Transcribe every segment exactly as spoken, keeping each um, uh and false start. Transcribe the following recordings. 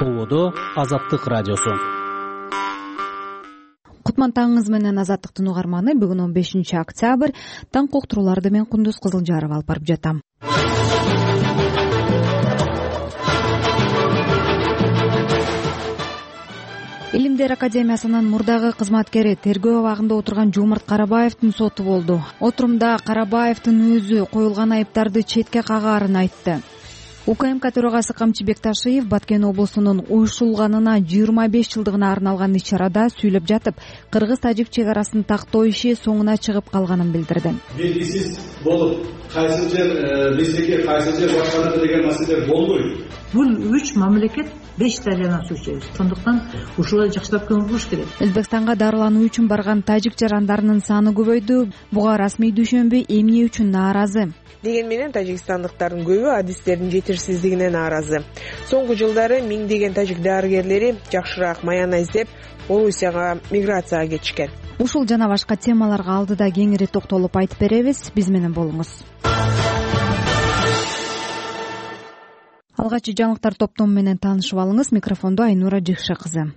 Ободо Азаттык радиосу. Кутман таңыңыз менен Азаттыктын угарманы. Бүгүн он бешинчи октябрь. Таң коктурууларды мен Кундуз Кызылжаров алып барып жатам. Илимдер академиясынын мурдагы кызматкери тергөө абагында отурган Жомарт Карабаевдин соту болду. Отурумда Карабаевдин өзү коюлган айыптарды четке кагаарын айтты. УКМК төрагасы Камчы Бекташиев Баткен облусунун уюшулганына жыйырма беш жылдыгына арналган иш-чарада сүйлөп жатып, кыргыз-тажик чек арасын тактоо иши соңуна чыгып калганын билдирди. Белгисиз болуп, кайсы жер биздики, кайсы жер башканыкы деген маселелер болбойт. Бул үч мамлекет беш дарыянан суу ичебиз. Ошондуктан ушуларды жакшылап көңүл буруш керек. Өзбекстанга дарылануу үчүн барган тажик жарандарынын саны көбөйдү. Буга расмий дүйшөмбү эмне үчүн нааразы? Деген менен тажикстандыктардын көбү адистердин жетишсиздигине нааразы. Соңку жылдары миңдеген тажик дарыгерлери жакшыраак маяна издеп, Орусияга миграцияга кетишкен. Ушул жана башка темаларга алдыда кеңири токтолуп айтып беребиз. Биз менен болуңуз. Алгачкы жаңылыктар топтому менен таанышып алыңыз. Микрофондо Айнура Жыкшы кызы.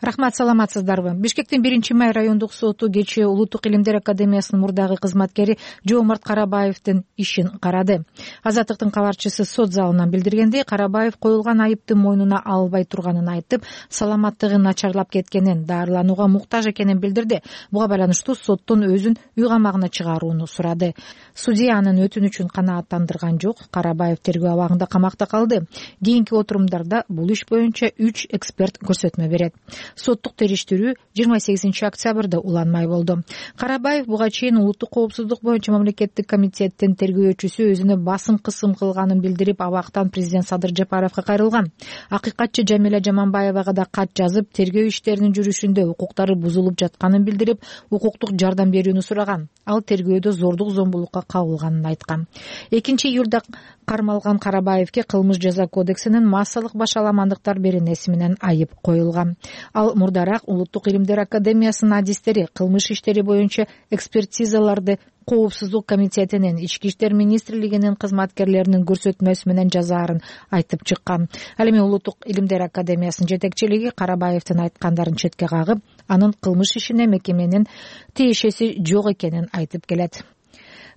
Рахмат, саламатсыздарбы? Бишкектин биринчи май райондук соту кечээ Улуттук илимдер академиясынын мурдагы кызматкери Жомарт Карабаевдин ишин карады. Азаттыктын кабарчысы сот залынан билдиргендей, Карабаев коюлган айыпты мойнуна албай турганын айтып, саламаттыгы начарлап кеткенин, дарыланууга муктаж экенин билдирди. Буга байланыштуу соттон өзүн үй камагына чыгарууну сурады. Судья анын өтүнүчүн канааттандырган жок. Карабаев тергөө абагында камакта калды. Кийинки отурумдарда бул иш боюнча үч эксперт көрсөтмө берет. Соттук териштирүү жыйырма сегизинчи октябрда уланмай болду. Карабаев буга чейин улуттук коопсуздук боюнча мамлекеттик комитеттин тергөөчүсү өзүнө басым кысым кылганын билдирип, абактан президент Садыр Жапаровго кайрылган. Акыйкатчы Жамиля Жаманбаевага да кат жазып, тергөө иштеринин жүрүшүндө укуктары бузулуп жатканын билдирип, укуктук жардам берүүнү сураган. Ал тергөөдө зордук зомбулукка кабылганын айткан. экинчи июлда кармалган Карабаевге кылмыш жаза кодексинин массалык башаламандыктар беренеси менен айып коюлган. Ал мурдараак Улуттук илимдер академиясынын адистери кылмыш иштери боюнча экспертизаларды Коопсуздук комитетинин, Ички иштер министрлигинин кызматкерлеринин көрсөтмөсү менен жазаарын айтып чыккан. Ал эми Улуттук илимдер академиясынын жетекчилиги Карабаевдин айткандарын четке кагып, анын кылмыш ишине мекеменин тиешеси жок экенин айтып келет.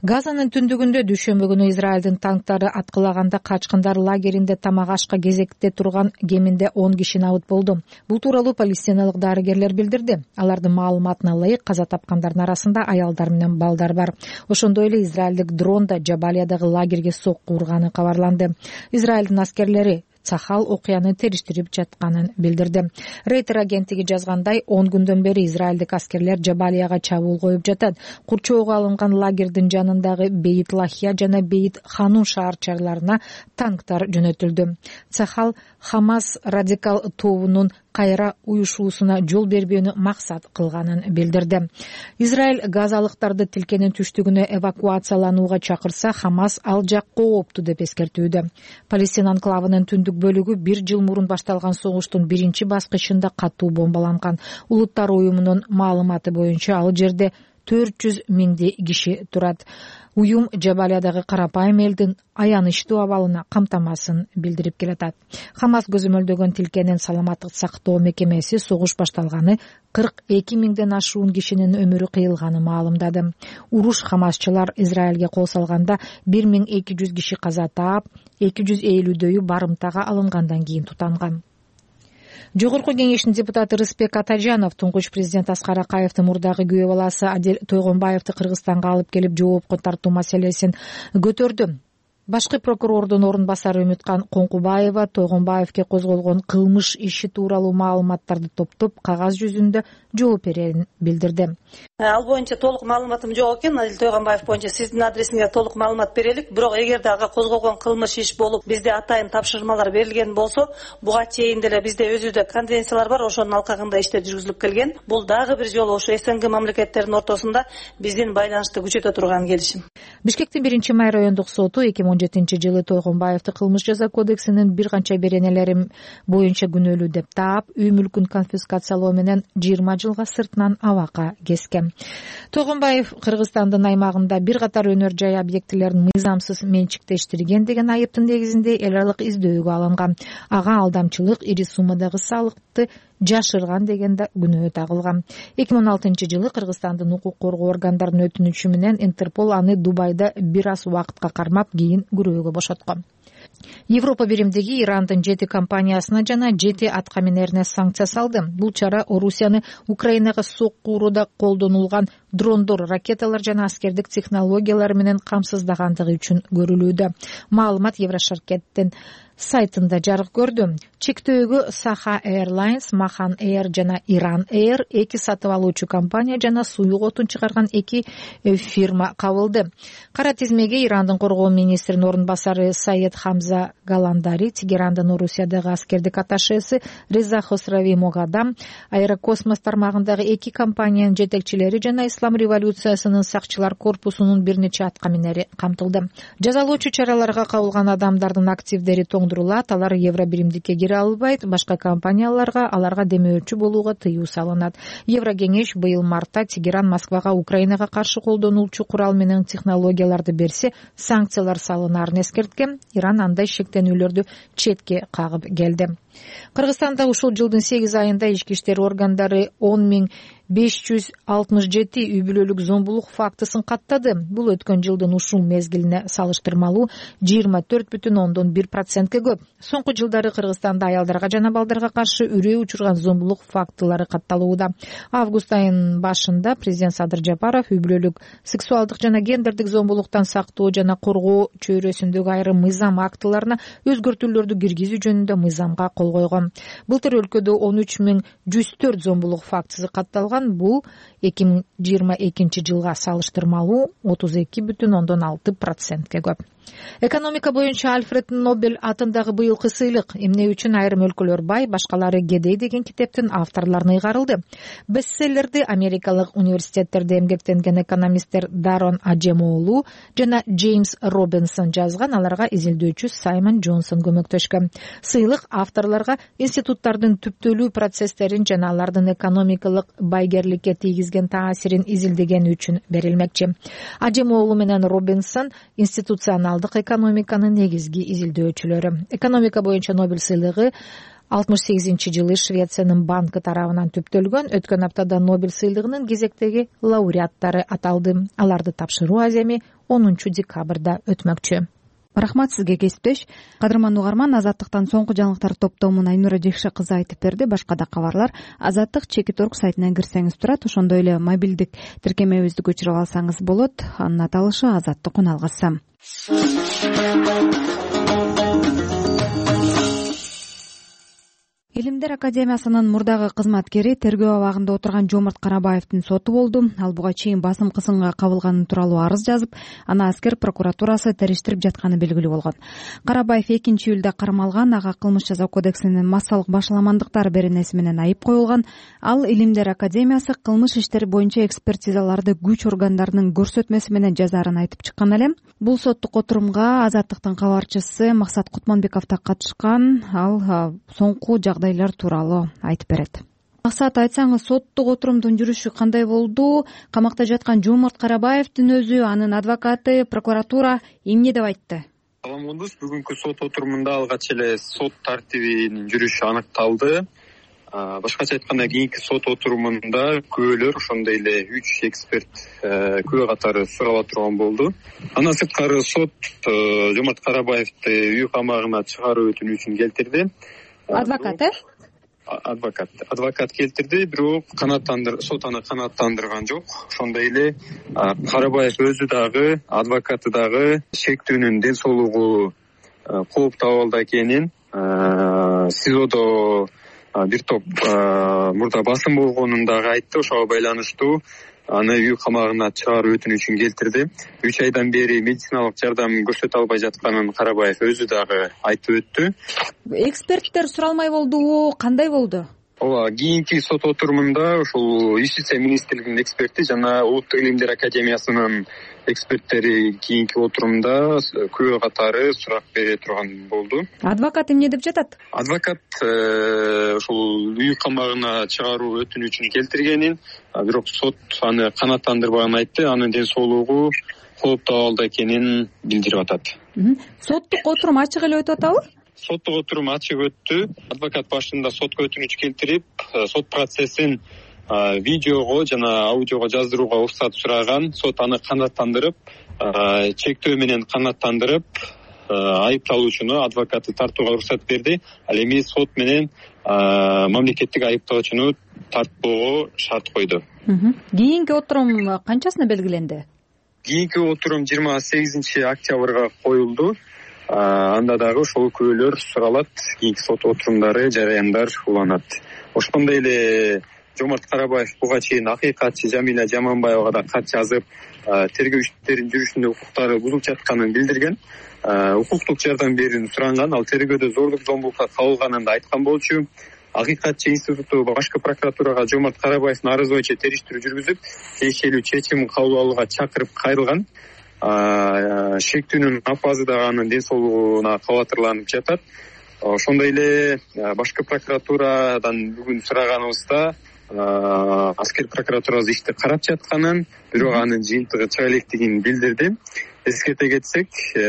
Газанын түндүгүндө дүйшөмбү күнү Израилдин танктары аткылаганда качкындар лагеринде тамак ашка кезекте турган кеминде он киши набыт болду. Бул тууралуу палестиналык дарыгерлер билдирди. Алардын маалыматына ылайык, каза тапкандардын арасында аялдар менен балдар бар. Ошондой эле израилдик дрон да Жабалиядагы лагерге сокку урганы кабарланды. Израилдин аскерлери Цахал окуяны териштирип жатканын билдирди. Рейтер агенттиги жазгандай, он күндөн бери израилдик аскерлер Жабалияга чабуул коюп жатат. Курчоого алынган лагердин жанындагы Бейт Лахия жана Бейт Ханун шаарчаларына танктар жөнөтүлдү. Цахал Хамас радикал тобунун кайра уюшуусуна жол бербөөнү максат кылганын билдирди. Израиль газалыктарды тилкенин түштүгүнө эвакуацияланууга чакырса, Хамас ал жак коопту деп эскертүүдө. Палестина анклавынын түндүк бөлүгү бир жыл мурун башталган согуштун биринчи баскычында катуу бомбаланган. Улуттар уюмунун маалыматы боюнча ал жерде төрт жүз миңдей киши турат. Уюм Жабалиядагы карапайым элдин аянычтуу абалына камтамасын билдирип келатат. Хамас көзөмөлдөгөн тилкенин саламаттык сактоо мекемеси согуш башталганы кырк эки миңден ашуун кишинин өмүрү кыйылганы маалымдады. Уруш хамасчылар Израилге кол салганда бир миң эки жүз киши каза таап, эки жүз элүүдөйү барымтага алынгандан кийин тутанган. Жогорку кеңештин депутаты Рыспек Атажанов туңгуч президент Аскар Акаевдин мурдагы күйөө баласы Адил Тойгонбаевди Кыргызстанга алып келип жоопко тартуу маселесин көтөрдү. Башкы прокурордун орун басары Үмүткан Коңкубаева Тойгонбаевге козголгон кылмыш иши тууралуу маалыматтарды топтоп, кагаз жүзүндө жооп берерин билдирди. Ал боюнча толук маалыматым жок экен. Адил Тойгонбаев боюнча сиздин адресиңизге толук маалымат берелик. Бирок эгерде ага козголгон кылмыш иш болуп, бизде атайын тапшырмалар берилген болсо, буга чейин деле бизде өзүдө конвенциялар бар, ошонун алкагында иштер жүргүзүлүп келген. Бул дагы бир жолу ошо СНГ мамлекеттеринин ортосунда биздин байланышты күчөтө турган келишим. Бишкектин биринчи май райондук соту эки миң он жетинчи жылы Тойгонбаевди кылмыш жаза кодексинин бир канча беренелери боюнча күнөөлүү деп таап, үй мүлкүн конфискациялоо менен жыйырма жылга сыртынан абакка кескен. Тойгонбаев Кыргызстандын аймагында бир катар өнөр жай объектилерин мыйзамсыз менчиктештирген деген айыптын негизинде эл аралык издөөгө алынган. Ага алдамчылык, ири суммадагы салыкты жашырган деген да күнөө тагылган. эки миң он алтынчы жылы Кыргызстандын укук коргоо органдарынын өтүнүчү менен Интерпол аны Дубайда бир аз убакытка кармап, кийин күрөөгө бошоткон. Европа биримдиги Ирандын жети компаниясына жана жети аткаминерине санкция салды. Бул чара Орусияны Украинага сокку урууда колдонулган дрондор, ракеталар жана аскердик технологиялар менен камсыздагандыгы үчүн көрүлүүдө. Маалымат Еврошаркеттин сайтында жарык көрдү. Чектөөгө Саха Airlines, Махан Air жана Иран Air эки сатып алуучу компания жана суюк отун чыгарган эки фирма кабылды. Кара тизмеге Ирандын коргоо министринин орун басары Саед Хамза Галандари, Тегерандын Орусиядагы аскердик атташеси Реза Хосрави Могадам, Аэрокосмос тармагындагы эки компаниянын жетекчилери жана Ислам революциясынын сакчылар корпусунун бир нече аткаминери камтылды. Жазалоочу чараларга кабылган адамдардын активдери тоңдурулат, алар евро биримдикке кире албайт, башка компанияларга аларга демөөрчү болууга тыюу салынат. Еврокеңеш быйыл мартта Тегеран Москвага Украинага каршы колдонулчу курал менен технологияларды берсе, санкциялар салынаарын эскерткен. Иран андай шектенүүлөрдү четке кагып келди. Кыргызстанда ушул жылдын сегиз айында ички иштер органдары он миң беш жүз алтымыш жети үй бүлөлүк зомбулук фактысын каттады. Бул өткөн жылдын ушул мезгилине салыштырмалуу жыйырма төрт бүтүн ондон бир процентке көп. Соңку жылдары Кыргызстанда аялдарга жана балдарга каршы үрөө учурган зомбулук фактылары катталууда. Август айынын башында президент Садыр Жапаров үй бүлөлүк сексуалдык жана гендердик зомбулуктан сактоо жана коргоо чөйрөсүндөгү айрым мыйзам актыларына өзгөртүүлөрдү киргизүү жөнүндө мыйзамга кол койгон. Былтыр өлкөдө он үч миң жүз төрт зомбулук фактысы катталган. Бул эки миң жыйырма экинчи жылга салыштырмалуу отуз эки бүтүн ондон алты процентке көп. Экономика боюнча Альфред Нобель атындагы быйылкы сыйлык эмне үчүн айрым өлкөлөр бай, башкалары кедей деген китептин авторлоруна ыйгарылды. Бестселлерди америкалык университеттерде эмгектенген экономисттер Дарон Аджемоолу жана Джеймс Робинсон жазган, аларга изилдөөчү Саймон Джонсон көмөктөшкөн. Сыйлык авторлорго институттардын түптөлүү процесстерин жана алардын экономикалык байгерликке тийгизген таасирин изилдегени үчүн берилмекчи. Аджемоолу менен Робинсон институционалдык экономиканын негизги изилдөөчүлөрү. Экономика боюнча Нобель сыйлыгы алтымыш сегизинчи жылы Швециянын банкы тарабынан түптөлгөн. Өткөн аптада Нобель сыйлыгынын кезектеги лауреаттары аталды. Аларды тапшыруу аземи онунчу декабрда өтмөкчү. Рахмат сизге, кесиптеш. Кадырман угарман, Азаттыктан соңку жаңылыктар топтомун Айнура Жекше кызы айтып берди. Башка да кабарлар Азаттык чекит точка орг сайтынан кирсеңиз турат. Ошондой эле мобилдик тиркемебизди көчүрүп алсаңыз болот. Анын аталышы Азаттык үн алгысы. Илимдер академиясынын мурдагы кызматкери тергөө абагында отурган Жомарт Карабаевдин соту болду. Ал буга чейин басым кысымга кабылганы тууралуу арыз жазып, аны аскер прокуратурасы териштирип жатканы белгилүү болгон. Карабаев экинчи июлда кармалган, ага кылмыш жаза кодексинин массалык башаламандыктар беренеси менен айып коюлган. Ал Илимдер академиясы кылмыш иштери боюнча экспертизаларды күч органдарынын көрсөтмөсү менен жазаарын айтып чыккан эле. Бул соттук отурумга Азаттыктын кабарчысы Максат Кутманбеков да катышкан. Ал соңку жагдайлар тууралуу айтып берет. Максат, айтсаңыз, соттук отурумдун жүрүшү кандай болду? Камакта жаткан Жомарт Карабаевдин өзү, анын адвокаты, прокуратура эмне деп айтты? Салам болдуңуз. Бүгүнкү сот отурумунда алгач эле сот тартибинин жүрүшү аныкталды. Башкача айтканда, кийинки сот отурумунда күбөлөр, ошондой эле үч эксперт күбө катары сурала турган болду. Андан сырткары сот Жомарт Карабаевди үй камагына чыгаруу өтүнүчүн келтирди. Адвокат, э? Адвокат. Адвокат келтирди, бирок канааттандыр, сот аны канааттандырган жок. Ошондой эле Карабаев өзү дагы, адвокаты дагы шектүүнүн ден соолугу кооптуу абалда экенин, СИЗОдо бир топ мурда басым болгонун дагы айтты. Ошого байланыштуу аны үй камагына чыгаруу өтүнүчүн келтирди. Үч айдан бери медициналык жардам көрсөтө албай жатканын Карабаев өзү дагы айтып өттү. Эксперттер суралмай болдубу, кандай болду? ооба, кийинки сот отурумунда ушул Юстиция министрлигинин эксперти жана Улуттук илимдер академиясынын эксперттери кийинки отурумда күбө катары сурак бере турган болду. Адвокат эмне деп жатат? Адвокат ушул үй камагына чыгаруу өтүнүчүн келтиргенин, бирок сот аны канааттандырбаганын айтты. Анын ден соолугу кооптуу абалда экенин билдирип атат. Соттук отурум ачык эле өтүп атабы? Соттук отурум ачык өттү. Адвокат башында сотко өтүнүч келтирип, сот процессин видеого жана аудиого жаздырууга уруксат сураган. Сот аны канааттандырып, чектөө менен канааттандырып, айыпталуучуну, адвокатты тартууга уруксат берди. Ал эми сот менен мамлекеттик айыптоочуну тартпоого шарт койду. Кийинки отурум канчасына белгиленди? Кийинки отурум жыйырма сегизинчи октябрга коюлду. Анда дагы ошол күбөлөр суралат, кийинки сот отурумдары, жараяндар уланат. Ошондой эле Жомарт Карабаев буга чейин акыйкатчы Жамиля Жаманбаевага да кат жазып, тергөө иштеринин жүрүшүндө укуктары бузулуп жатканын билдирген, укуктук жардам берүүнү суранган, ал тергөөдө зордук зомбулукка кабылганын да айткан болчу. Акыйкатчы институту башкы прокуратурага Жомарт Карабаевдин арызы боюнча териштирүү жүргүзүп, тиешелүү чечим кабыл алууга чакырып кайрылган. Шектүүнүн апазы дагы анын ден соолугуна кабатырланып жатат. Ошондой эле башкы прокуратурадан бүгүн сураганыбызда аскер прокуратурасы ишти карап жатканын, бирок анын жыйынтыгы чыга электигин билдирди. Эскерте кетсек,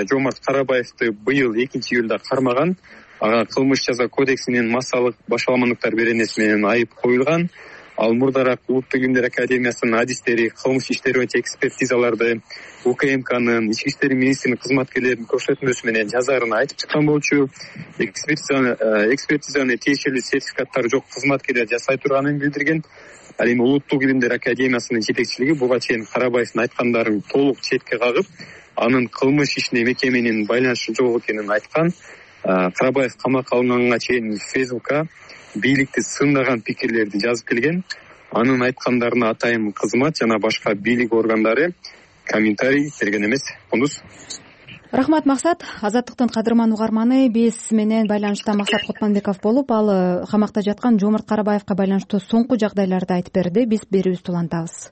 Жомарт Карабаевди быйыл экинчи июлда кармаган, ага кылмыш жаза кодексинин массалык башаламандыктар беренеси менен айып коюлган. Ал мурдараак Улуттук илимдер академиясынын адистери кылмыш иштери боюнча экспертизаларды У К М Кнын, Ички иштер министринин кызматкерлеринин көрсөтмөсү менен жазарын айтып чыккан болчу. Экспертизаны тиешелүү сертификаттары жок кызматкерлер жасай турганын билдирген. Ал эми Улуттук илимдер академиясынын жетекчилиги буга чейин Карабаевдин айткандарын толук четке кагып, анын кылмыш ишине мекеменин байланышы жок экенин айткан. Карабаев камакка алынганга чейин Фейсбукка бийликти сындаган пикирлерди жазып келген. Анын айткандарына атайын кызмат жана башка бийлик органдары комментарий берген эмес. Кундуз. Рахмат, Максат. Азаттыктын кадырман угарманы биз менен байланышта Максат Кутманбеков болуп, ал камакта жаткан Жомарт Карабаевга байланыштуу соңку жагдайларды айтып берди. Биз берүүбүздү улантабыз.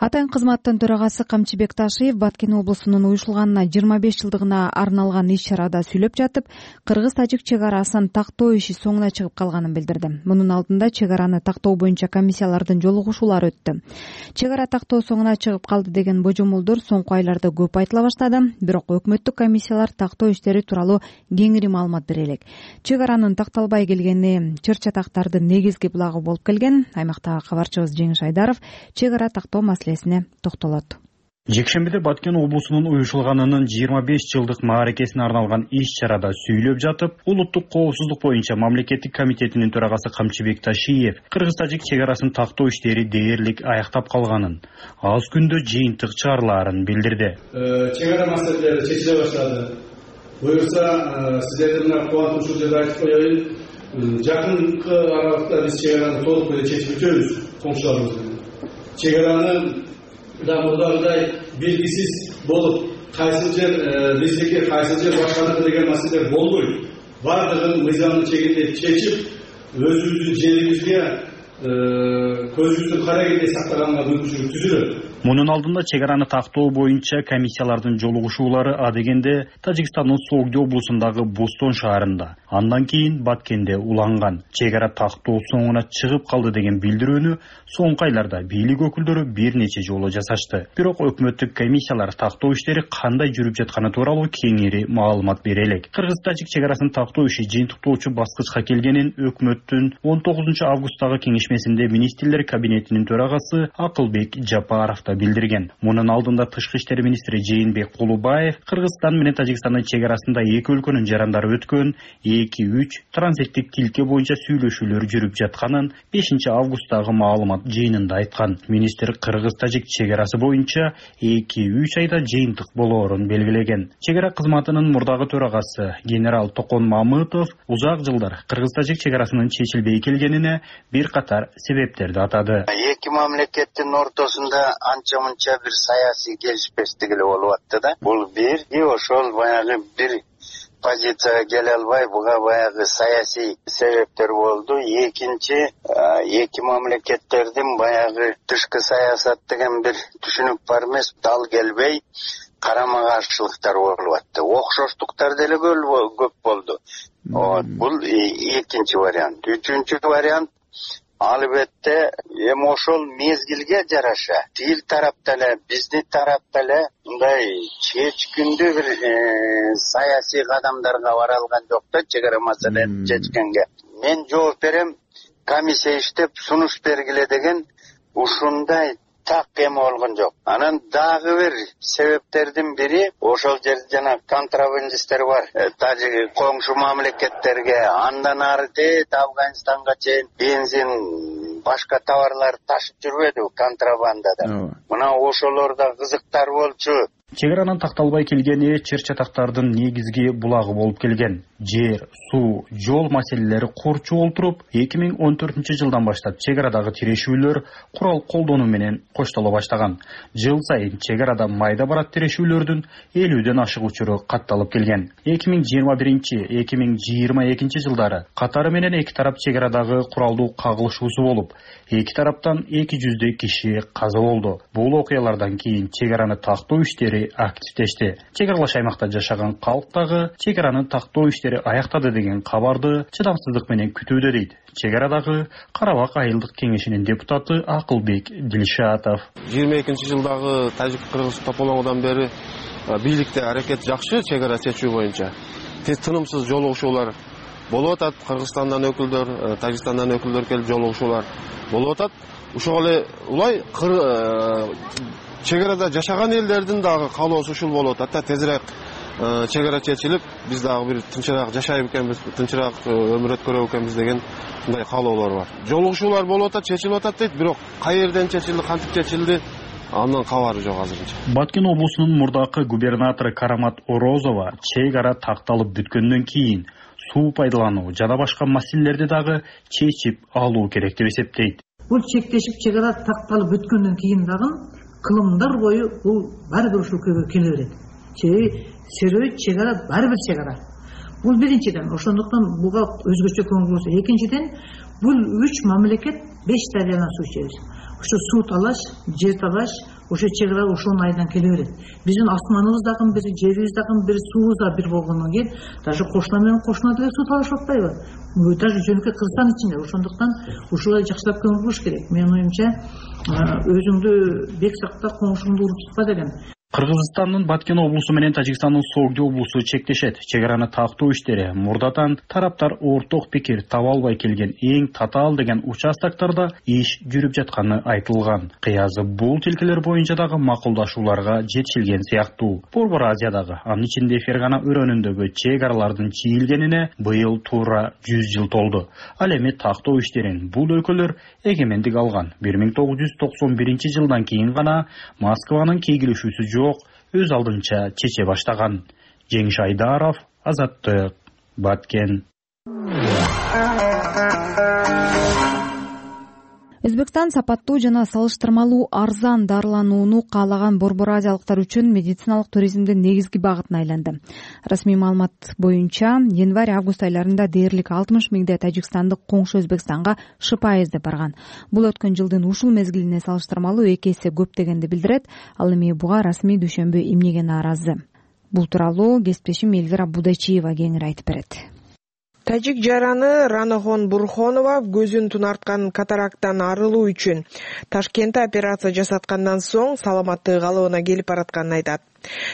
Атайын кызматтын төрагасы Камчыбек Ташиев Баткен облусунун уюшулганына жыйырма беш жылдыгына арналган иш-чарада сүйлөп жатып, кыргыз-тажик чек арасын тактоо иши соңуна чыгып калганын билдирди. Мунун алдында чек араны тактоо боюнча комиссиялардын жолугушуулары өттү. Чек ара тактоо соңуна чыгып калды деген божомолдор соңку айларда көп айтыла баштады, бирок өкмөттүк комиссиялар тактоо иштери тууралуу кеңири маалымат бере элек. Чек аранын такталбай келгени чыр-чатактардын негизги булагы болуп келген. Аймактагы кабарчыбыз Жеңиш Айдаров чек ара тактоо маселесине токтолот. Жекшембиде Баткен облусунун уюшулганынын жыйырма беш жылдык мааракесине арналган иш-чарада сүйлөп жатып, улуттук коопсуздук боюнча мамлекеттик комитетинин төрагасы Камчыбек Ташиев кыргыз-тажик чек арасын тактоо иштери дээрлик аяктап калганын, аз күндө жыйынтык чыгарылаарын билдирди. Чек ара маселелери чечиле баштады. Буюрса, сиздердин мына кубантуучу жерде айтып коеюн, жакынкы аралыкта биз чек араны толук менен чечип өтөбүз коңшуларыбыз менен. Чек араны да мурдагыдай белгисиз болуп, кайсы жер биздики, кайсы жер башканыкы деген маселелер болбойт. Бардыгын мыйзамдын чегинде чечип, өзүбүздүн жерибизге көзүбүздүн карагенде сактаганга мүмкүнчүлүк түзүлөт. Мунун алдында чек араны тактоо боюнча комиссиялардын жолугушуулары адегенде Тажикстандын Согди облусундагы Бостон шаарында, андан кийин Баткенде уланган. Чек ара тактоо соңуна чыгып калды деген билдирүүнү соңку айларда бийлик өкүлдөрү бир нече жолу жасашты. Бирок өкмөттүк комиссиялар тактоо иштери кандай жүрүп жатканы тууралуу кеңири маалымат бере элек. Кыргыз-тажик чек арасын тактоо иши жыйынтыктоочу баскычка келгенин өкмөттүн он тогузунчу августтагы кеңешмесинде министрлер кабинетинин төрагасы Акылбек Жапаров билдирген. Мунун алдында тышкы иштер министри Жээнбек Кулубаев Кыргызстан менен Тажикстандын чек арасында эки өлкөнүн жарандары өткөн эки үч транзиттик тилке боюнча сүйлөшүүлөр жүрүп жатканын бешинчи августтагы маалымат жыйынында айткан. Министр Кыргыз-тажик чек арасы боюнча эки үч айда жыйынтык болоорун белгилеген. Чек ара кызматынын мурдагы төрагасы генерал Токон Мамытов узак жылдар Кыргыз-тажик чек арасынын чечилбей келгенине бир катар себептерди атады. Эки мамлекеттин ортосунда анча-мынча бир саясий келишпестик эле болуп атты да. Бул бир, и ошол баягы бир позицияга келе албай, буга баягы саясий себептер болду. Экинчи, эки мамлекеттердин баягы тышкы саясат деген бир түшүнүк бар эмес, дал келбей карама каршылыктар болуп атты. Окшоштуктар деле көп болду. Вот, бул экинчи вариант. Үчүнчү вариант, албетте эми ошол мезгилге жараша тил тарапта эле, биздин тарапта эле мындай чечкиндүү бир саясий кадамдарга бара алган жок да, чек ара маселени чечкенге. Мен жооп берем, комиссия иштеп сунуш бергиле деген ушундай так эме болгон жок. Анан дагы бир себептердин бири, ошол жерде жана контрабандисттер бар. Тажик коңшу мамлекеттерге, андан ары дейт Афганистанга чейин бензин, башка товарлар ташып жүрбөдү контрабандада. Мына ошолор да кызыктар болчу. Чек аранын такталбай келгени чыр чатактардын негизги булагы болуп келген. Жер, суу, жол маселелери корчу олтуруп, эки миң он төртүнчү жылдан баштап чек арадагы тирешүүлөр курал колдонуу менен коштоло баштаган. Жыл сайын чек арада майда барат тирешүүлөрдүн элүүдөн ашык учуру катталып келген. эки миң жыйырма биринчи — эки миң жыйырма экинчи жылдары катары менен эки тарап чек арадагы куралдуу кагылышуусу болуп, эки тараптан эки жүздөй киши каза болду. Бул окуялардан кийин чек араны тактоо иштери активдешти. Чек аралаш аймакта жашаган калк дагы чек аранын тактоо иштери аяктады деген кабарды чыдамсыздык менен күтүүдө дейт чек арадагы Карабак айылдык кеңешинин депутаты Акылбек Дилшатов. жыйырма экинчи жылдагы тажик-кыргыз тополоңудан бери бийликте аракет жакшы чек ара чечүү боюнча. Тынымсыз жолугушуулар болуп атат. Кыргызстандан өкүлдөр, Тажикстандан өкүлдөр келип жолугушуулар болуп атат. Ошол эле улай чек арада жашаган элдердин дагы каалоосу ушул болуп атат. Тезирээк чек ара чечилип, биз дагы бир тынчыраак жашайбы экенбиз, тынчыраак өмүр өткөрөбү экенбиз деген мындай каалоолор бар. Жолугушуулар болуп атат, чечилип атат дейт, бирок кай жерден чечилди, кантип чечилди, андан кабары жок азырынча. Баткен облусунун мурдакы губернатору Карамат Орозова чек ара такталып бүткөндөн кийин суу пайдалануу жана башка маселелерди дагы чечип алуу керек деп эсептейт. Бул чектешип чек ара такталып бүткөндөн кийин дагы кылымдар бою бул баары бир ушул көйгөй келе берет. Себеби серөй чек ара баары бир чек ара. Бул биринчиден, ошондуктан буга өзгөчө көңүл бурса. Экинчиден, бул үч мамлекет беш дарыядан суу ичебиз. Ошо суу талаш, жер талаш, ошо чек ара ошонун айынан келе берет. Биздин асманыбыз дагы бир, жерибиз дагы бир, суубуз да бир болгондон кийин даже кошуна менен кошуна деле суу талашып атпайбы? Даже жөнөкөй Кыргызстан ичинде. Ошондуктан ушулай жакшылап көңүл буруш керек. Менин оюмча, өзүңдү бек сакта, коңшуңду уруп тутпа деген. Кыргызстандын Баткен облусу менен Тажикстандын Согди облусу чектешет. Чек араны тактоо иштери мурдатан тараптар орток пикир таба албай келген эң татаал деген участоктордо иш жүрүп жатканы айтылган. Кыязы бул тилкелер боюнча дагы макулдашууларга жетишилген сыяктуу. Борбор Азиядагы, анын ичинде Фергана өрөөнүндөгү чек аралардын чийилгенине быйыл туура жүз жыл толду. Ал эми тактоо иштерин бул өлкөлөр эгемендик алган бир миң тогуз жүз токсон биринчи жылдан кийин гана Москванын кейгилешүүсү жок өз алдынча чече баштаган. Жеңиш Айдаров, Азаттык, Баткен. Өзбекстан сапаттуу жана салыштырмалуу арзан дарыланууну каалаган борбор азиялыктар үчүн медициналык туризмдин негизги багытына айланды. Расмий маалымат боюнча январь-август айларында дээрлик алтымыш миңдей тажикстандык коңшу Өзбекстанга шыпа издеп барган. Бул өткөн жылдын ушул мезгилине салыштырмалуу эки эсе көп дегенди билдирет. Ал эми буга расмий дүйшөмбү эмнеге нааразы? Бул тууралуу кесиптешим Элвира Будачиева кеңири айтып берет. Тажик жараны Ранахон Бурхонова көзүн тунарткан катарактан арылуу үчүн Ташкентте операция жасаткандан соң саламаттыгы калыбына келип баратканын айтат.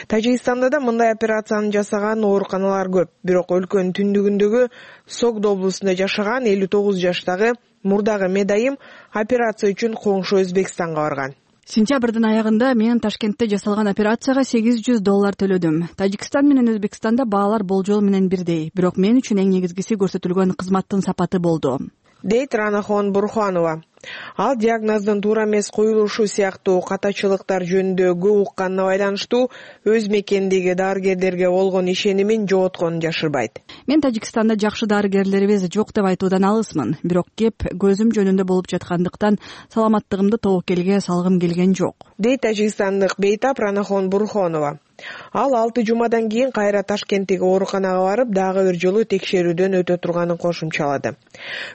Тажикстанда да мындай операцияны жасаган ооруканалар көп, бирок өлкөнүн түндүгүндөгү Согд облусунда жашаган элүү тогуз жаштагы мурдагы медайым операция үчүн коңшу Өзбекстанга барган. Сентябрдын аягында мен Ташкентте жасалган операцияга сегиз жүз доллар төлөдүм. Тажикстан менен Өзбекстанда баалар болжол менен бирдей, бирок мен үчүн эң негизгиси көрсөтүлгөн кызматтын сапаты болду, дейт Ранахон Бурхонова. Ал диагноздун туура эмес коюлушу сыяктуу катачылыктар жөнүндө көп укканына байланыштуу өз мекенindеги дарыгерлерге болгон ишенимин жоготконун жашырбайт. Мен Тажикстанда жакшы дарыгерлерибиз жок деп айтуудан алысмын, бирок кеп көзүм жөнүндө болуп жаткандыктан саламаттыгымды тобокелге салгым келген жок, дейт тажикстандык бейтап Ранахон Бурхонова. Ал алты жумадан кийин кайра Ташкенттеги ооруканага барып, дагы бир жолу текшерүүдөн өтө турганын кошумчалады.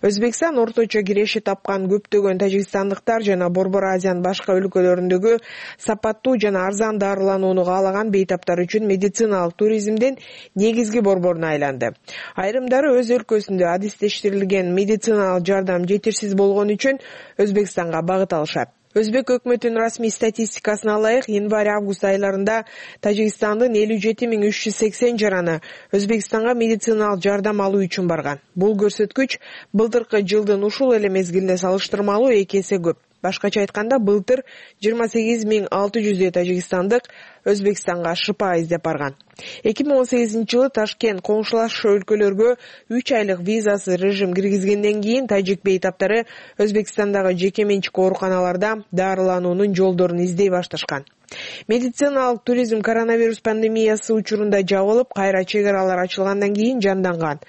Өзбекстан орточо киреши тапкан көптөгөн тажикстандыктар жана Борбор Азиянын башка өлкөлөрүндөгү сапаттуу жана арзан дарыланууну каалаган бейтаптар үчүн медициналык туризмдин негизги борборуна айланды. Айрымдары өз өлкөсүндө адистештирилген медициналык жардам жетишсиз болгон үчүн Өзбекстанга багыт алышат. Өзбек өкмөтүнүн расмий статистикасына ылайык, январь-август айларында Тажикстандын элүү жети миң үч жүз сексен жараны Өзбекстанга медициналык жардам алуу үчүн барган. Бул көрсөткүч былтыркы жылдын ушул эле мезгилине салыштырмалуу эки эсе көп. Башкача айтканда, былтыр жыйырма сегиз миң алты жүздөй тажикстандык Өзбекстанга шыпа издеп барган. эки миң он сегизинчи жылы Ташкент коңшулаш өлкөлөргө үч айлык визасыз режим киргизгенден кийин тажик бейтаптары Өзбекстандагы жеке менчик ооруканаларда дарылануунун жолдорун издей башташкан. Медициналык туризм коронавирус пандемиясы учурунда жабылып, кайра чек аралар ачылгандан кийин жанданган.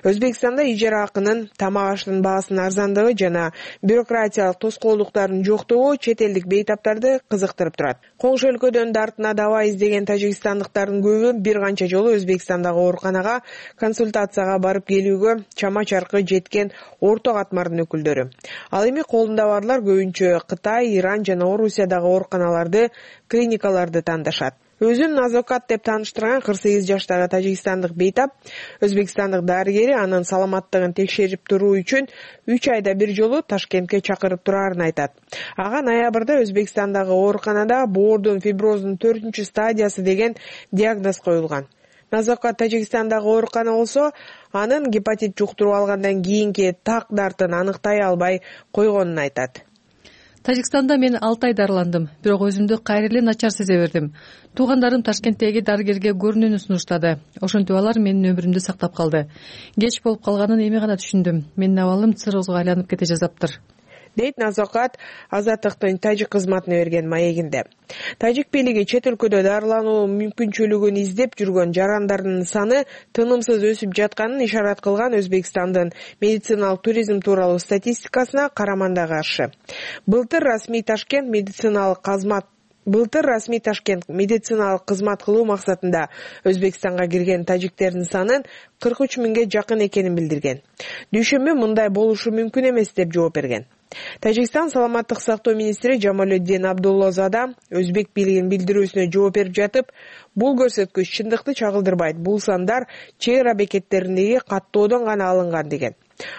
Өзбекстанда ижара акынын, тамак аштын баасынын арзандыгы жана бюрократиялык тоскоолдуктардын жоктугу чет элдик бейтаптарды кызыктырып турат. Коңшу өлкөдөн дартына даба издеген тажикстандыктардын көбү бир канча жолу Өзбекстандагы ооруканага консультацияга барып келүүгө чама-чаркы жеткен орто катмардын өкүлдөрү. Ал эми колунда барлар көбүнчө Кытай, Иран жана Орусиядагы ооруканаларды, клиникаларды тандашат. Өзүн Назокат деп тааныштырган кырк сегиз жаштагы тажикстандык бейтап Өзбекстандык дарыгери анын саламаттыгын текшерип туруу үчүн үч айда бир жолу Ташкентке чакырып турарын айтат. Ага ноябрда Өзбекстандагы ооруканада боордун фиброзунун төртүнчү стадиясы деген диагноз коюлган. Назокат Тажикстандагы оорукана болсо, анын гепатит жуктуруп алгандан кийинки так дартын аныктай албай койгонун айтат. Тажикстанда мен алты ай дарыландым, бирок өзүмдү кайра эле начар сезе бердим. Туугандарым Ташкенттеги дарыгерге көрүнүүнү сунуштады. Ошентип алар менин өмүрүмдү сактап калды. Кеч болуп калганын эми гана түшүндүм. Менин абалым циррозго айланып кете жаздаптыр, дейт Назокат Азаттыктын тажик кызматына берген маегинде. Тажик бийлиги чет өлкөдө дарылануу мүмкүнчүлүгүн издеп жүргөн жарандардын саны тынымсыз өсүп жатканын ишарат кылган Өзбекстандын медициналык туризм тууралуу статистикасына караманда каршы. Былтыр расмий Ташкент медициналык кызмат Былтыр расмий Ташкент медициналык кызмат кылуу максатында Өзбекстанга кирген тажиктердин санын кырк үч миңге жакын экенин билдирген. Дүйшөмбү мындай болушу мүмкүн эмес деп жооп берген. Тажикстан саламаттык сактоо министри Жамалетдин Абдуллозада өзбек бийлигинин билдирүүсүнө жооп берип жатып, бул көрсөткүч чындыкты чагылдырбайт. Бул сандар чек ара бекеттериндеги каттоодон гана алынган деген.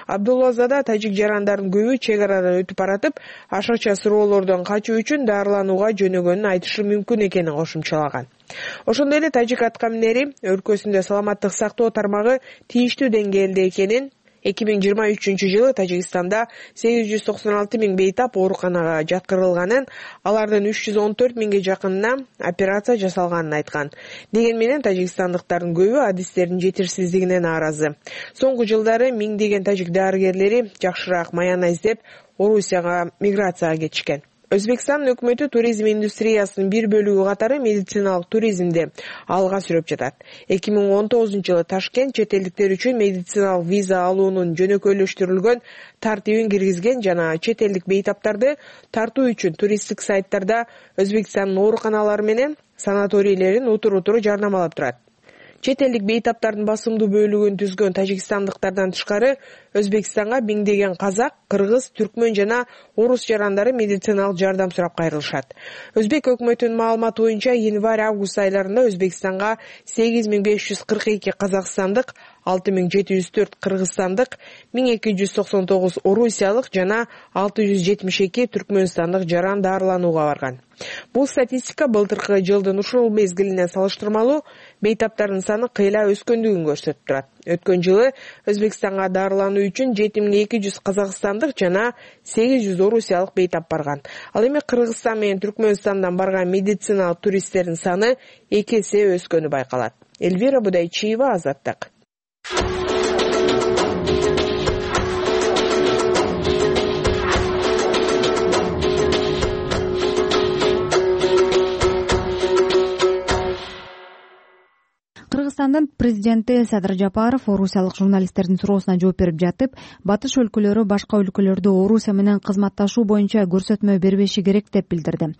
Абдуллозада тажик жарандардын көбү чек арадан өтүп баратып, ашыкча суроолордон качуу үчүн дарыланууга жөнөгөнүн айтышы мүмкүн экенин кошумчалаган. Ошондой эле тажик аткаминери өлкөсүндө саламаттык сактоо тармагы тийиштүү деңгээлде экенин, эки миң жыйырма үчүнчү жылы Тажикстанда сегиз жүз токсон алты миң бейтап ооруканага жаткырылганын, алардын үч жүз он төрт миңге жакынына операция жасалганын айткан. Деген менен тажикстандыктардын көбү адистердин жетишсиздигине нааразы. Соңку жылдары миңдеген тажик дарыгерлери жакшыраак маяна издеп Орусияга миграцияга кетишкен. Өзбекстан өкмөтү туризм индустриясынын бир бөлүгү катары медициналык туризмди алга сүрөп жатат. эки миң он тогузунчу жылы Ташкент чет элдиктер үчүн медициналык виза алуунун жөнөкөйлөштүрүлгөн тартибин киргизген жана чет элдик бейтаптарды тартуу үчүн туристтик сайттарда Өзбекстандын ооруканалары менен санаторийлерин утур-утур жарнамалап турат. Чет элдик бейтаптардын басымдуу бөлүгүн түзгөн тажикстандыктардан тышкары Өзбекстанга миңдеген казак, кыргыз, түркмөн жана орус жарандары медициналык жардам сурап кайрылышат. Өзбек өкмөтүнүн маалыматы боюнча январь-август айларында Өзбекстанга сегиз миң беш жүз кырк эки казакстандык, алты миң жети жүз төрт кыргызстандык, миң эки жүз токсон тогуз орусиялык жана алты жүз жетимиш эки түркмөнстандык жаран дарыланууга барган. Бул статистика былтыркы жылдын ушул мезгилине салыштырмалуу бейтаптардын саны кыйла өскөндүгүн көрсөтүп турат. Өткөн жылы Өзбекстанга дарылануу үчүн жети миң эки жүз казакстандык жана сегиз жүз орусиялык бейтап барган. Ал эми Кыргызстан менен Түркмөнстандан барган медициналык туристтердин саны эки эсе өскөнү байкалат. Эльвира Будайчиева, Азаттык. Кыргызстандын президенти Садыр Жапаров орусиялык журналисттердин суроосуна жооп берип жатып, батыш өлкөлөрү башка өлкөлөрдө Орусия менен кызматташуу боюнча көрсөтмө бербеши керек деп билдирди.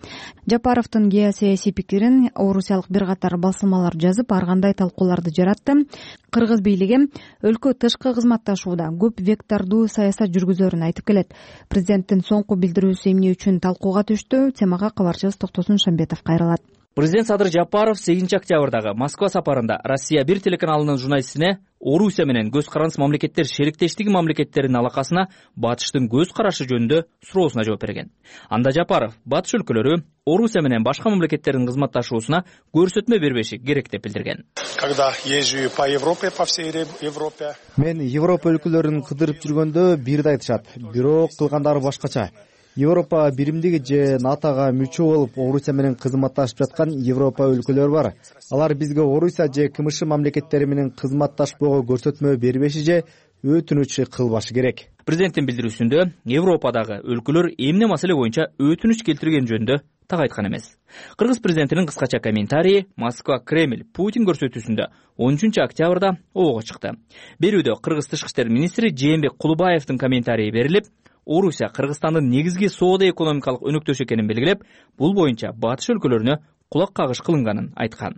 Жапаровдун геосаясий пикирин орусиялык бир катар басылмалар жазып, ар кандай талкууларды жаратты. Кыргыз бийлиги өлкө тышкы кызматташууда көп вектордуу саясат жүргүзөрүн айтып келет. Президенттин соңку билдирүүсү эмне үчүн талкууга түштү? Темага кабарчыбыз Токтосун Шамбетов кайрылат. Президент Садыр Жапаров сегизинчи октябрдагы Москва сапарында Россия бир телеканалынын журналистине Орусия менен көз карандыс мамлекеттер шериктештиги мамлекеттеринин алакасына батыштын көз карашы жөнүндө суроосуна жооп берген. Анда Жапаров батыш өлкөлөрү Орусия менен башка мамлекеттердин кызматташуусуна көрсөтмө бербеши керек деп билдирген. Когда езжу по Европе, по всей Европе. Мен Европа өлкөлөрүн кыдырып жүргөндө бирди айтышат, бирок кылгандары башкача. Европа биримдиги же НАТОга мүчө болуп Орусия менен кызматташып жаткан Европа өлкөлөрү бар. Алар бизге Орусия же КМШ мамлекеттери менен кызматташпоого көрсөтмө бербеши же өтүнүч кылбашы керек. Президенттин билдирүүсүндө Европадагы өлкөлөр эмне маселе боюнча өтүнүч келтирген жөнүндө так айткан эмес. Кыргыз президентинин кыскача комментарийи Москва Кремль Путин көрсөтүүсүндө он үчүнчү октябрда обого чыкты. Берүүдө Кыргыз тышкы иштер министри Жээнбек Кулубаевдин комментарийи берилип, Орусия Кыргызстандын негизги соода-экономикалык өнөктөшү экенин белгилеп, бул боюнча батыш өлкөлөрүнө кулак кагыш кылынганын айткан.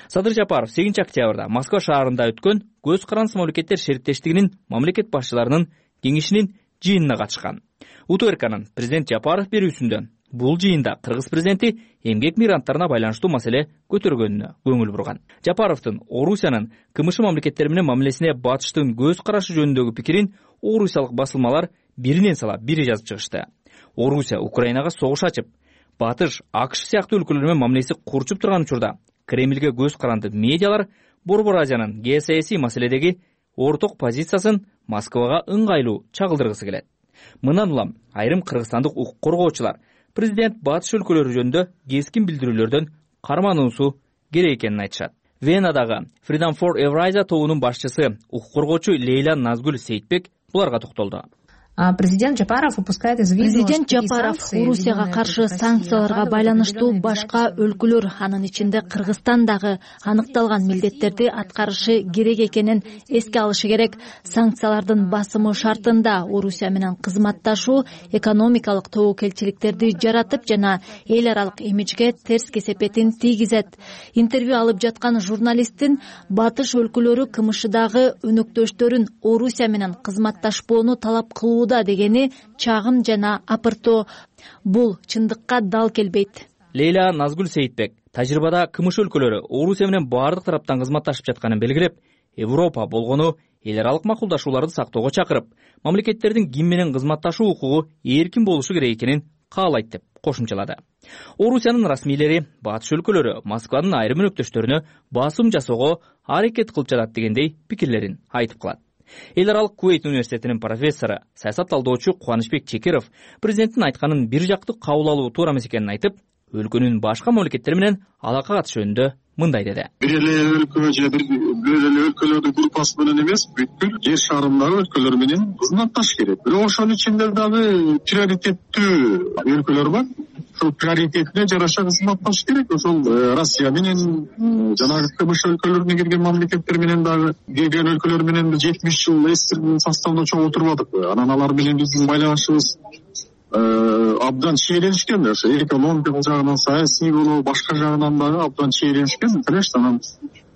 Садыр Жапаров сегизинчи октябрда Москва шаарында өткөн көз карандыс мамлекеттер шериктештигинин мамлекет башчыларынын кеңешинин жыйынына катышкан. УТРКнын президент Жапаров берүүсүндө бул жыйында Кыргыз президенти эмгек мигранттарына байланыштуу маселе көтөргөнүнө көңүл бурган. Жапаровдун Орусиянын КМШ мамлекеттери менен мамилесине батыштын көз карашы жөнүндөгү пикирин орусиялык басылмалар биринен сала бири жазып чыгышты. Орусия Украинага согуш ачып, батыш АКШ сыяктуу өлкөлөр менен мамилеси курчуп турган учурда Кремльге көз каранды медиалар Борбор Азиянын геосаясий маселедеги орток позициясын Москвага ыңгайлуу чагылдыргысы келет. Мындан улам айрым кыргызстандык укук коргоочулар президент батыш өлкөлөрү жөнүндө кескин билдирүүлөрдөн кармануусу керек экенин айтышат. Венадагы Freedom for Eurasia тобунун башчысы укук коргоочу Лейла Назгүл Сейитбек буларга токтолду. Президент Жапаров упускает из виду, Президент Жапаров Орусияга каршы санкцияларга байланыштуу башка өлкөлөр, анын ичинде Кыргызстан дагы аныкталган милдеттерди аткарышы керек экенин эске алышы керек. Санкциялардын басымы шартында Орусия менен кызматташуу экономикалык тобокелчиликтерди жаратып жана эл аралык имиджге терс кесепетин тийгизет. Интервью алып жаткан журналисттин батыш өлкөлөрү КМШдагы өнөктөштөрүн Орусия менен кызматташпоону талап кылуу дегени чагым жана апыртоо. Бул чындыкка дал келбейт. Лейла Назгүл Сейитбек тажрыйбада КМШ өлкөлөрү Орусия менен баардык тараптан кызматташып жатканын белгилеп, Европа болгону эл аралык макулдашууларды сактоого чакырып, мамлекеттердин ким менен кызматташуу укугу эркин болушу керек экенин каалайт деп кошумчалады. Орусиянын расмийлери батыш өлкөлөрү Москванын айрым өнөктөштөрүнө басым жасоого аракет кылып жатат дегендей пикирлерин айтып калат. Эл аралык Куэйт университетинин профессору, саясат талдоочу Кубанычбек Чекеров президенттин айтканын бир жактуу кабыл алуу туура эмес экенин айтып, өлкөнүн башка мамлекеттери менен алака катыш жөнүндө мындай деди. Бир эле өлкө же бир эле өлкөлөрдүн группасы менен эмес, бүткүл жер шарындагы өлкөлөр менен кызматташ керек. Бирок ошонун ичинде дагы приоритеттүү өлкөлөр бар. Ошол приоритетине жараша кызматташ керек. Ошол Россия менен жанагы КМШ өлкөлөрүнө кирген мамлекеттер менен дагы кирген өлкөлөр менен жетимиш жыл эстирдин составында чогуу отурбадыкпы. Анан алар менен биздин байланышыбыз абдан чийеленишкен. Ошо экономикалык жагынан, саясий болобу, башка жагынан дагы абдан чийеленишкен. Конечно, анан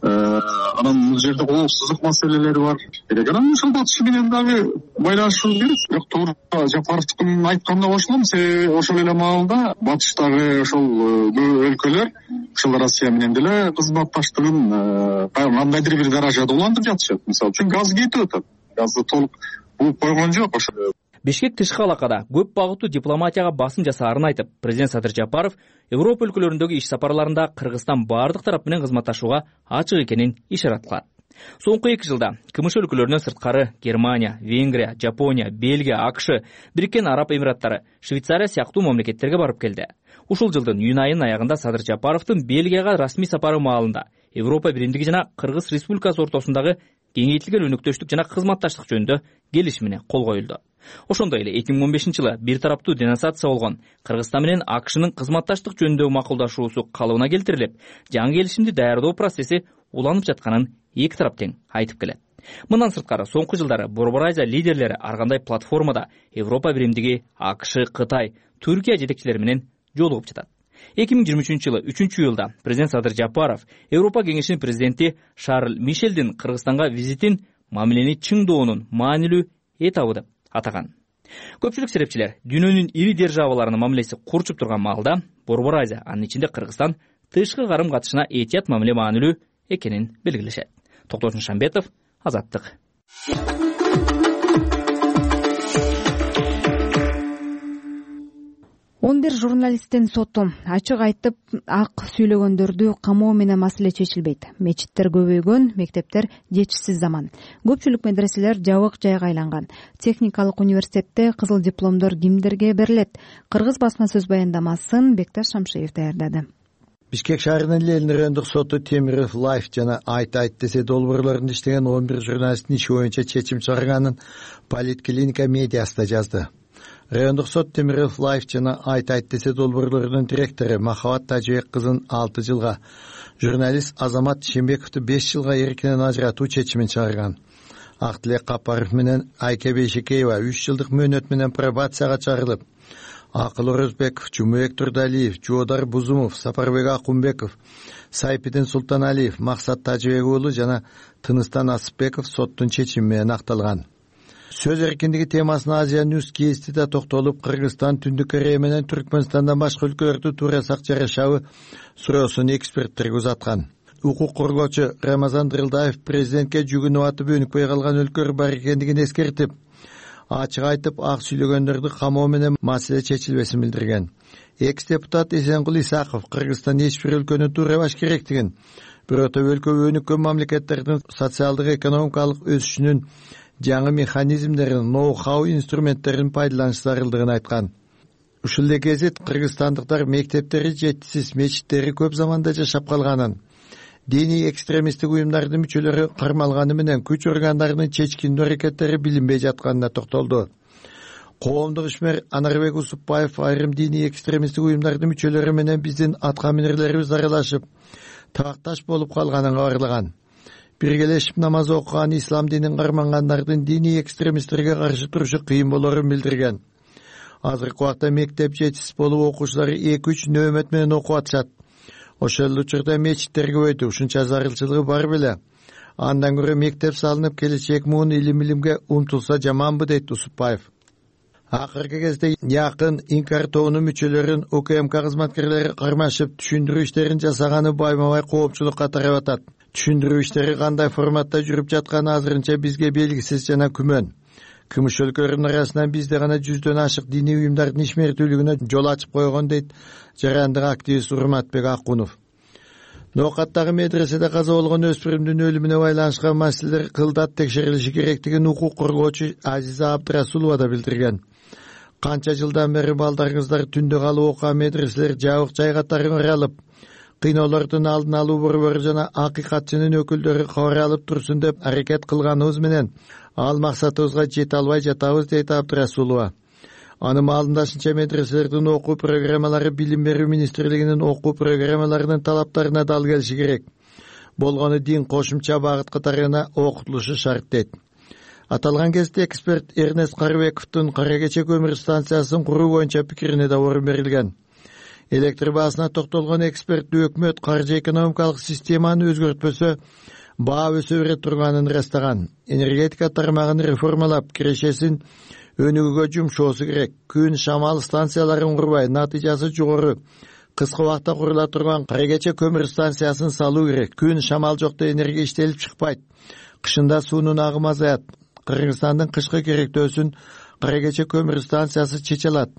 анан бул жерде коопсуздук маселелери бар. Керек анан ошол батыш менен дагы байланышыбыз керек. Бирок туура Жапаровдун айтканына кошулам. Себеби ошол эле маалда батыштагы ошол өлкөлөр ошол Россия менен деле кызматташтыгын кандайдыр бир даражада улантып жатышат. Мисалы үчүн газ кетип атат. Газды толук булуп койгон жок. Ошо Бишкек тышкы алакада көп багыттуу дипломатияга басым жасаарын айтып, президент Садыр Жапаров Европа өлкөлөрүндөгү иш сапарларында Кыргызстан баардык тарап менен кызматташууга ачык экенин ишарат кылат. Соңку эки жылда КМШ өлкөлөрүнөн сырткары Германия, Венгрия, Жапония, Бельгия, АКШ, Бириккен Араб Эмираттары, Швейцария сыяктуу мамлекеттерге барып келди. Ушул жылдын июнь айынын аягында Садыр Жапаровдун Бельгияга расмий сапары маалында Европа биримдиги жана Кыргыз Республикасы ортосундагы кеңейтилген өнөктөштүк жана кызматташтык жөнүндө келишимине кол коюлду. Ошондой эле эки миң он бешинчи жылы бир тараптуу денонсация болгон Кыргызстан менен АКШнын кызматташтык жөнүндөгү макулдашуусу калыбына келтирилип, жаңы келишимди даярдоо процесси уланып жатканын эки тарап тең айтып келет. Мындан сырткары соңку жылдары Борбор Азия лидерлери ар кандай платформада Европа биримдиги, АКШ, Кытай, Түркия жетекчилери менен жолугуп жатат. эки миң жыйырма үчүнчү жылы үчүнчү июлда президент Садыр Жапаров Европа кеңешинин президенти Шарль Мишелдин Кыргызстанга визитин мамилени чыңдоонун маанилүү этабы деп атаган. Көпчүлүк серепчилер дүйнөнүн ири державаларынын мамилеси курчуп турган маалда Борбор Азия, анын ичинде Кыргызстан тышкы карым катышына этият мамиле маанилүү экенин белгилешет. Токтосун Шамбетов, Азаттык. он бир журналисттин соту ачык айтып ак сүйлөгөндөрдү камоо менен маселе чечилбейт. Мечиттер көбөйгөн, мектептер жетишсиз заман. Көпчүлүк медреселер жабык жайга айланган. Техникалык университетте кызыл дипломдор кимдерге берилет? Кыргыз басма сөз баяндамасын Бекташ Шамшиев даярдады. Бишкек шаарынын Ленин райондук соту Темиров Лайф жана Айт Айт десе долбоорлорунда иштеген он бир журналисттин иши боюнча чечим чыгарганын Политклиника медиасында жазды. Райондук сот Темиров Лайф жана Айт Айт десе долбоорлорунун директору Махабат Тажыбек кызын алты жылга, журналист Азамат Шембековду беш жылга эркинен ажыратуу чечимин чыгарган. Актилек Капаров менен Айке Бейшекеева үч жылдык мөөнөт менен пробацияга чыгарылып, Акыл Орозбеков, Жумабек Турдалиев, Жоодар Бузумов, Сапарбек Акунбеков, Сайпидин Султаналиев, Максат Тажыбек уулу жана Тыныстан Асыпбеков соттун чечими менен акталган. Сөз эркиндиги темасына Азия Ньюс кести да токтолуп, Кыргызстан, Түндүк Корея менен Түркмөнстандан башка өлкөлөрдү туурасак жарашабы суроосун эксперттерге узаткан. Укук коргоочу Рамазан Дырылдаев президентке жүгүнүп атып өнүкпөй калган өлкөлөр бар экендигин эскертип, ачык айтып ак сүйлөгөндөрдү камоо менен маселе чечилбесин билдирген. Экс депутат Эсенкул Исаков Кыргызстан эч бир өлкөнү туурабаш керектигин, бирок өлкө өнүккөн мамлекеттердин социалдык экономикалык өсүшүнүн жаңы механизмдерин, ноу-хау инструменттерин пайдаланыш зарылдыгын айткан. Ушул эле гезит кыргызстандыктар мектептери жетишсиз, мечиттери көп заманда жашап калганын, диний экстремисттик уюмдардын мүчөлөрү кармалганы менен күч органдарынын чечкиндүү аракеттери билинбей жатканына токтолду. Коомдук ишмер Анарбек Усупбаев айрым диний экстремисттик уюмдардын мүчөлөрү менен биздин аткаминерлерибиз аралашып, табакташ болуп калганын кабарлаган. Биргелешип намаз окуган ислам динин кармангандардын диний экстремисттерге каршы турушу кыйын болорун билдирген. Азыркы убакта мектеп жетишсиз болуп, окуучулар эки үч нөөмөт менен окуп атышат. Ошол учурда мечиттер көбөйдү, ушунча зарылчылыгы бар беле. Андан көрө мектеп салынып, келечек муун илим-илимге умтулса жаманбы, дейт Усупбаев. Акыркы кезде якын Инкар тобунун мүчөлөрүн УКМК кызматкерлери кармашып, түшүндүрүү иштерин жасаганы байма-бай коопчулукка тарап атат. Түшүндүрүү иштери кандай форматта жүрүп жатканы азырынча бизге белгисиз жана күмөн. Кымыш өлкөлөрүнүн арасынан бизде гана жүздөн ашык диний уюмдардын ишмердүүлүгүнө жол ачып койгон, дейт жарандык активист Урматбек Акунов. Ноокаттагы медреседе каза болгон өспүрүмдүн өлүмүнө байланышкан маселелер кылдат текшерилиши керектигин укук коргоочу Азиза Абдрасулова да билдирген. Канча жылдан бери балдарыңыздар түндө калып окуган медреселер жабык жай катары ыралып, кыйноолордун алдын алуу борбору жана акыйкатчынын өкүлдөрү кабар алып турсун деп аракет кылганыбыз менен ал максатыбызга жете албай жатабыз, дейт Абдрасулова. Анын маалындашынча медреселердин окуу программалары Билим берүү министрлигинин окуу программаларынын талаптарына дал келиши керек. Болгону дин кошумча багыт катарына окутулушу шарт, дейт. Аталган кезде эксперт Эрнест Карыбековдун Кара Кече көмүр станциясын куруу боюнча пикирине да орун берилген. Электр баасына токтолгон эксперт өкмөт каржы экономикалык системаны өзгөртпөсө баа өсө бере турганын ырастаган. Энергетика тармагын реформалап, кирешесин өнүгүүгө жумшоосу керек. Күн шамал станцияларын курбай, натыйжасы жогору, кыска убакта курула турган Кара Кече көмүр станциясын салуу керек. Күн шамал жокто энергия иштелип чыкпайт. Кышында суунун агымы азаят. Кыргызстандын кышкы керектөөсүн Кара Кече көмүр станциясы чече алат.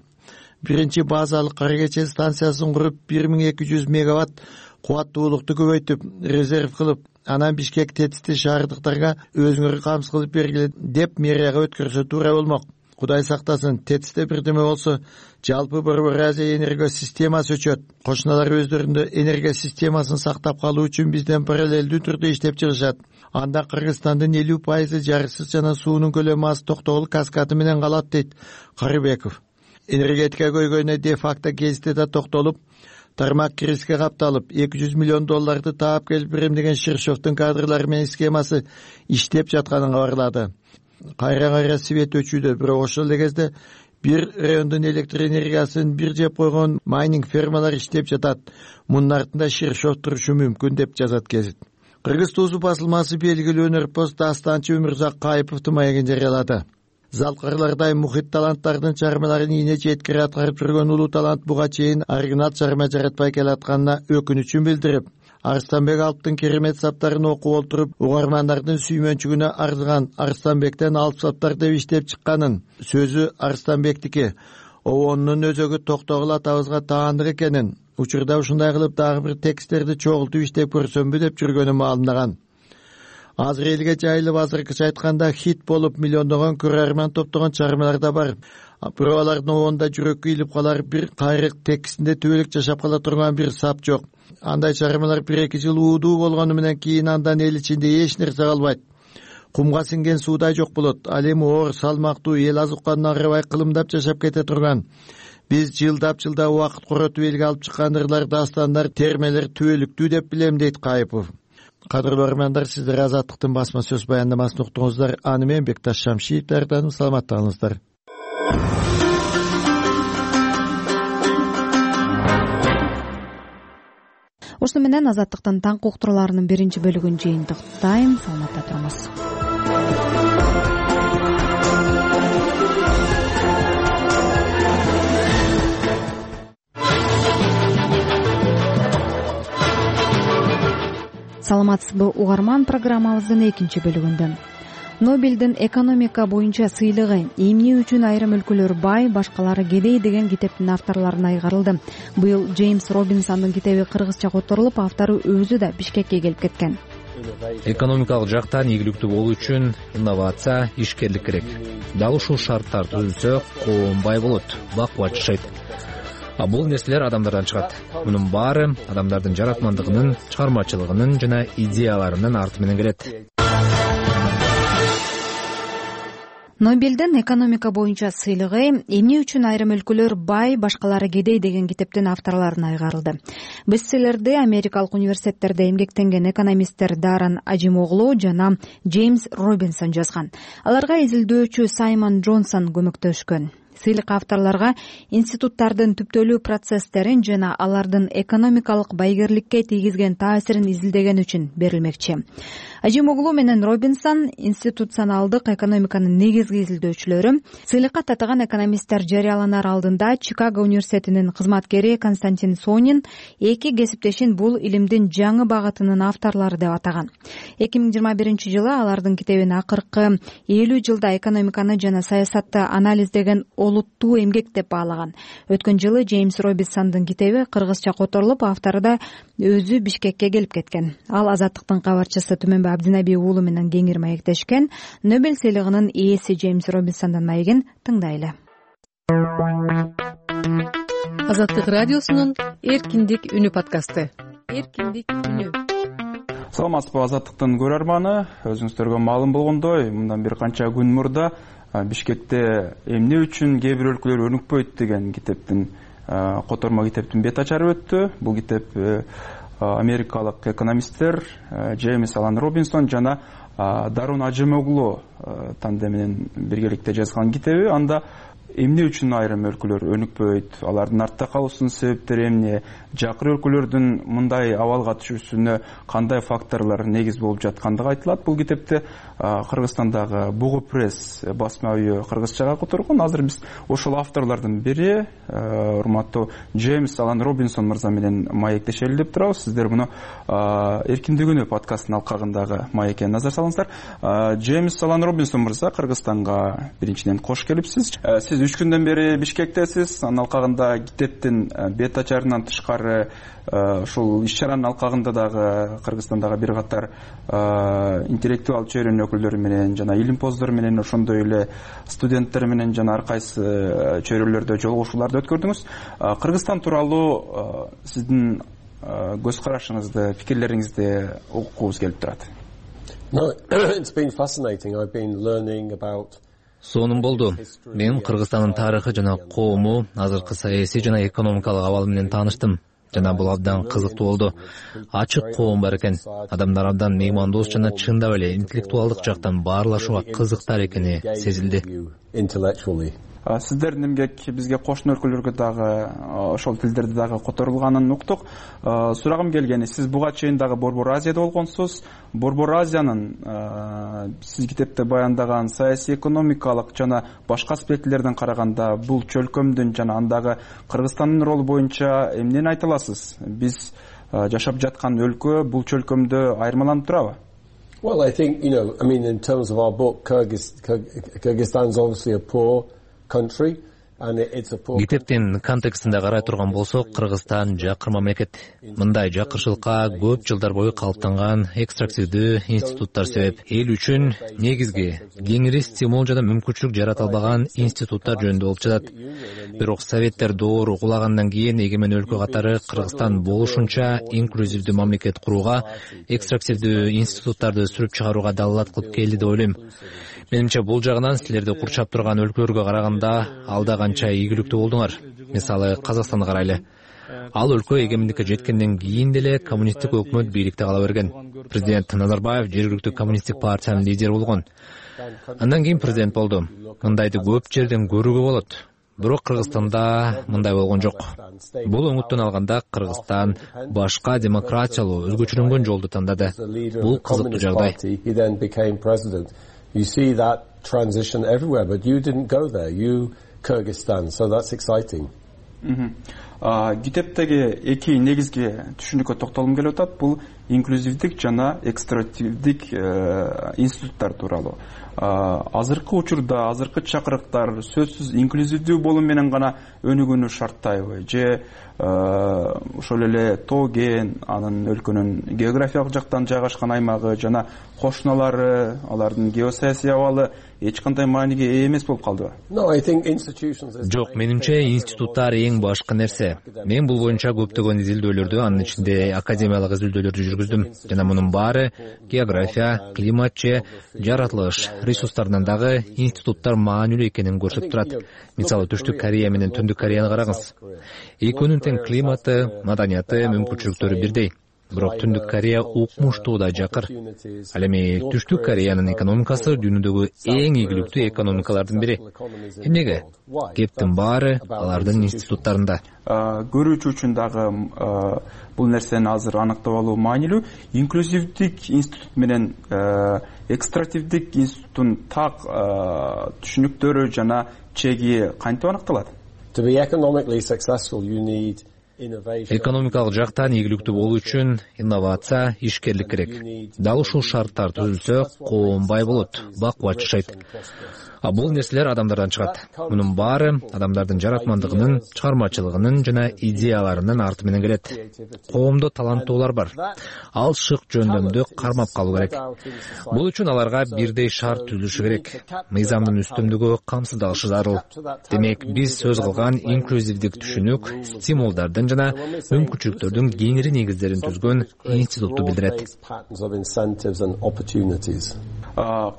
Биринчи базалык Кара Кече станциясын куруп, бир миң эки жүз мегаватт кубаттуулукту көбөйтүп, резерв кылып, анан Бишкек тетисти шаардыктарга өзүңөр камсыз кылып бергиле деп мэрияга өткөрсө туура болмок. Кудай сактасын, тетисте бирдеме болсо, жалпы Борбор Азия энергия системасы өчөт. Кошуналар өздөрүндө энергия системасын сактап калуу үчүн бизден параллелдүү түрдө иштеп чыгышат. Анда Кыргызстандын элүү пайызы жарыксыз жана суунун көлөмү аз токтогул каскады менен калат, дейт Карыбеков. Энергетика көйгөйүнө де факто гезитте да токтолуп, тармак кириске капталып эки жүз миллион долларды таап келип берем деген Ширшовдун кадрлары менен схемасы иштеп жатканын кабарлады. Кайра кайра свет өчүүдө, бирок ошол эле кезде бир райондун электр энергиясын бир жеп койгон майнинг фермалар иштеп жатат. Мунун артында Ширшов турушу мүмкүн деп жазат гезит. Кыргыз туусу басылмасы белгилүү өнөрпоз дастанчы Өмүрзак Кайыповдун маегин жарыялады. Залкарлардай мухит таланттардын чармаларын ийне жеткире аткарып жүргөн улуу талант буга чейин оригинал чарма жаратпай келатканына өкүнүчүн билдирип, Арстанбек Алптын керемет саптарын окуп олтуруп, угармандардын сүймөнчүгүнө арзыган Арстанбектен Алп саптар деп иштеп чыкканын, сөзү Арстанбектики, обонунун өзөгү Токтогул атабызга таандык экенин, учурда ушундай кылып дагы бир тексттерди чогултуп иштеп көрсөмбү деп жүргөнү маалымдаган. Азыр элге жайылып, азыркыча айтканда хит болуп миллиондогон көрөрман топтогон чармалар да бар. Бирок алардын обонунда жүрөккө илип калар бир кайрык текстинде түбөлүк жашап кала турган бир сап жок. Андай чармалар бир эки жыл уудуу болгону менен кийин андан эл ичинде эч нерсе калбайт. Кумга сиңген суудай жок болот. Ал эми оор, салмактуу, эл аз укканын аграбай кылымдап жашап кете турган. Биз жылдап жылдап убакыт коротуп элге алып чыккан ырлар, дастандар, термелер түбөлүктүү деп билем, дейт Кайыпов. Кадырлуу көрөрмандар, сиздер Азаттыктын басма сөз баяндамасын уктуңуздар. Аны менен Бекташ Шамшиев даярдадым. Саламатта калыңыздар. Ошону менен Азаттыктын таңкы уктурууларынын биринчи бөлүгүн жыйынтыктайм. Саламатта туруңуз. Саламатсызбы угарман, программабыздын экинчи бөлүгүндө. Нобелдин экономика боюнча сыйлыгы эмне үчүн айрым өлкөлөр бай, башкалары кедей деген китептин авторлоруна айгарылды. Быйыл Джеймс Робинсондун китеби кыргызча которулуп, автору өзү да Бишкекке келип кеткен. Экономикалык жактан ийгиликтүү болуу үчүн инновация, ишкерлик керек. Дал ушул шарттар түзүлсө, коом бай болот, бакубат жашайт. А бул нерселер адамдардан чыгат. Мунун баары адамдардын жаратмандыгынын, чыгармачылыгынын жана идеяларынын арты менен келет. Нобелдин экономика боюнча сыйлыгы эмне үчүн айрым өлкөлөр бай, башкалары кедей деген китептин авторлоруна айгарылды. Бестселлерди америкалык университеттерде эмгектенген экономисттер Даррен Ажимоглу жана Джеймс Робинсон жазган. Аларга изилдөөчү Саймон Джонсон көмөктөшкөн. Сыйлык авторлорго институттардын түптөлүү процесстерин жана алардын экономикалык байгерликке тийгизген таасирин изилдеген үчүн берилмекчи. Ажимоглу менен Робинсон институционалдык экономиканын негизги изилдөөчүлөрү. Сыйлыкка татыган экономисттер жарыяланар алдында Чикаго университетинин кызматкери Константин Сонин эки кесиптешин бул илимдин жаңы багытынын авторлору деп атаган. эки миң жыйырма биринчи жылы алардын китебин акыркы элүү жылда экономиканы жана саясатты анализдеген олуттуу эмгек деп баалаган. Өткөн жылы Джеймс Робинсондун китеби кыргызча которулуп, автору да өзү Бишкекке келип кеткен. Ал Азаттыктын кабарчысы Түмөнбай Абдинаби уулу менен кеңири маектешкен. Нобель сыйлыгынын ээси Джеймс Робинсондун маегин тыңдайлы. Азаттык радиосунун Эркиндик үнү подкасты. Эркиндик үнү. Саламатсызбы Азаттыктын көрөрманы, өзүңүздөргө маалым болгондой, мындан бир канча күн мурда Бишкекте эмне үчүн кээ бир өлкөлөр өнүкпөйт деген китептин котормо китептин бет ачары өттү. Бул китеп америкалык экономисттер Джеймс Алан Робинсон жана Даррен Ажимоглу тандеминен биргеликте жазган китеби. Анда эмне үчүн айрым өлкөлөр өнүкпөйт, алардын артта калуусунун себептери эмне, жакыр өлкөлөрдүн мындай абалга түшүүсүнө кандай факторлор негиз болуп жаткандыгы айтылат. Бул китепти Кыргызстандагы Бугу пресс басма үйү кыргызчага которгон. Азыр биз ошол авторлордун бири, урматтуу Джеймс Алан Робинсон мырза менен маектешели деп турабыз. Сиздер муну Эркиндик үнү подкастынын алкагындагы маекке назар салыңыздар. Джеймс Алан Робинсон мырза, Кыргызстанга биринчиден кош келипсиз. Сиз үч күндөн бери Бишкектесиз. Анын алкагында китептин бет ачарынан тышкары ушул иш-чаранын алкагында дагы Кыргызстандагы бир катар интеллектуал чөйрөнүн өкүлдөрү менен жана илимпоздор менен, ошондой эле студенттер менен жана ар кайсы чөйрөлөрдө жолугушууларды өткөрдүңүз. Кыргызстан тууралуу сиздин көз карашыңызды, пикирлериңизди угукубуз келип турат. Сонун болду. Мен Кыргызстандын тарыхы жана коому, азыркы саясий жана экономикалык абалы менен тааныштым. жана бул абдан кызыктуу болду. Ачык коом бар экен. Адамдар абдан меймандос жана чындап эле интеллектуалдык жактан баарлашууга кызыктар экени сезилди. Сиздердин эмгек бизге кошуна өлкөлөргө дагы ошол тилдерде дагы которулганын уктук. Сурагым келгени, сиз буга чейин дагы Борбор Азияда болгонсуз. Борбор Азиянын сиз китепте баяндаган саясий, экономикалык жана башка аспектилерден караганда бул чөлкөмдүн жана андагы Кыргызстандын ролу боюнча эмнени айта аласыз? Биз жашап жаткан өлкө бул чөлкөмдө айырмаланып турабы? Well, I think, you know, I mean, in terms of our book, Kyrgyzstan's obviously a poor country. Китептин контекстинде карай турган болсок, Кыргызстан жакыр мамлекет. Мындай жакырчылыкка көп жылдар бою калыптанган экстрактивдүү институттар себеп. Эл үчүн негизги кеңири стимул жана мүмкүнчүлүк жарата албаган институттар жөнүндө болуп жатат. Бирок советтер доору кулагандан кийин эгемен өлкө катары Кыргызстан болушунча инклюзивдүү мамлекет курууга, экстрактивдүү институттарды сүрүп чыгарууга далалат кылып келди деп ойлойм. Менимче бул жагынан силерди курчап турган өлкөлөргө караганда алда канча ийгиликтүү болдуңар. Мисалы, Казакстанды карайлы. Ал өлкө эгемендикке жеткенден кийин деле коммунисттик өкмөт бийликте кала берген. Президент Назарбаев жергиликтүү коммунисттик партиянын лидери болгон. Андан кийин президент болду. Мындайды көп жерден көрүүгө болот. Бирок Кыргызстанда мындай болгон жок. Бул оңуттон алганда Кыргызстан башка демократиялуу, өзгөчөлөнгөн жолду тандады. Бул кызыктуу жагдай. You see that transition everywhere, but you didn't go there. You Kyrgyzstan, so that's exciting. Китептеги эки негизги түшүнүккө токтолгум келип атат. Бул инклюзивдик жана экстративдик институттар тууралуу. Азыркы учурда азыркы чакырыктар сөзсүз инклюзивдүү болуу менен гана өнүгүүнү шарттайбы? Же ошол эле тоо кен, анын өлкөнүн географиялык жактан жайгашкан аймагы жана кошуналары, алардын геосаясий абалы эч кандай мааниге ээ эмес болуп калдыбы? Жок, менимче институттар эң башкы нерсе. Мен бул боюнча көптөгөн изилдөөлөрдү, анын ичинде академиялык изилдөөлөрдү жүргүздүм. Жана мунун баары география, климат же жаратылыш ресурстарынан дагы институттар маанилүү экенин көрсөтүп турат. Мисалы, Түштүк Корея менен Түндүк Кореяны караңыз. Экөөнүн тең климаты, маданияты, мүмкүнчүлүктөрү бирдей. Бирок Түндүк Корея укмуштуу да жакыр. Ал эми Түштүк Кореянын экономикасы дүйнөдөгү эң ийгиликтүү экономикалардын бири. Эмнеге? Кептин баары алардын институттарында. Көрүүчү үчүн дагы бул нерсени азыр аныктап алуу маанилүү. Инклюзивдик институт менен экстративдик институттун так түшүнүктөрү жана чеги кантип аныкталат? To be economically successful, you need Экономикалык жактан ийгиликтүү болуу үчүн инновация, ишкерлик керек. Дал ушул шарттар түзүлсө, коом бай болот, бакубат жашайт. А бул нерселер адамдардан чыгат. Мунун баары адамдардын жаратмандыгынын, чыгармачылыгынын жана идеяларынын арты менен келет. Коомдо таланттуулар бар. Ал шык жөндөмдү кармап калуу керек. Бул үчүн аларга бирдей шарт түзүлүшү керек. Мыйзамдын үстүмдүгү камсыздалышы зарыл. Демек, биз сөз кылган инклюзивдик түшүнүк стимулдардын жана мүмкүнчүлүктөрдүн кеңири негиздерин түзгөн институтту билдирет.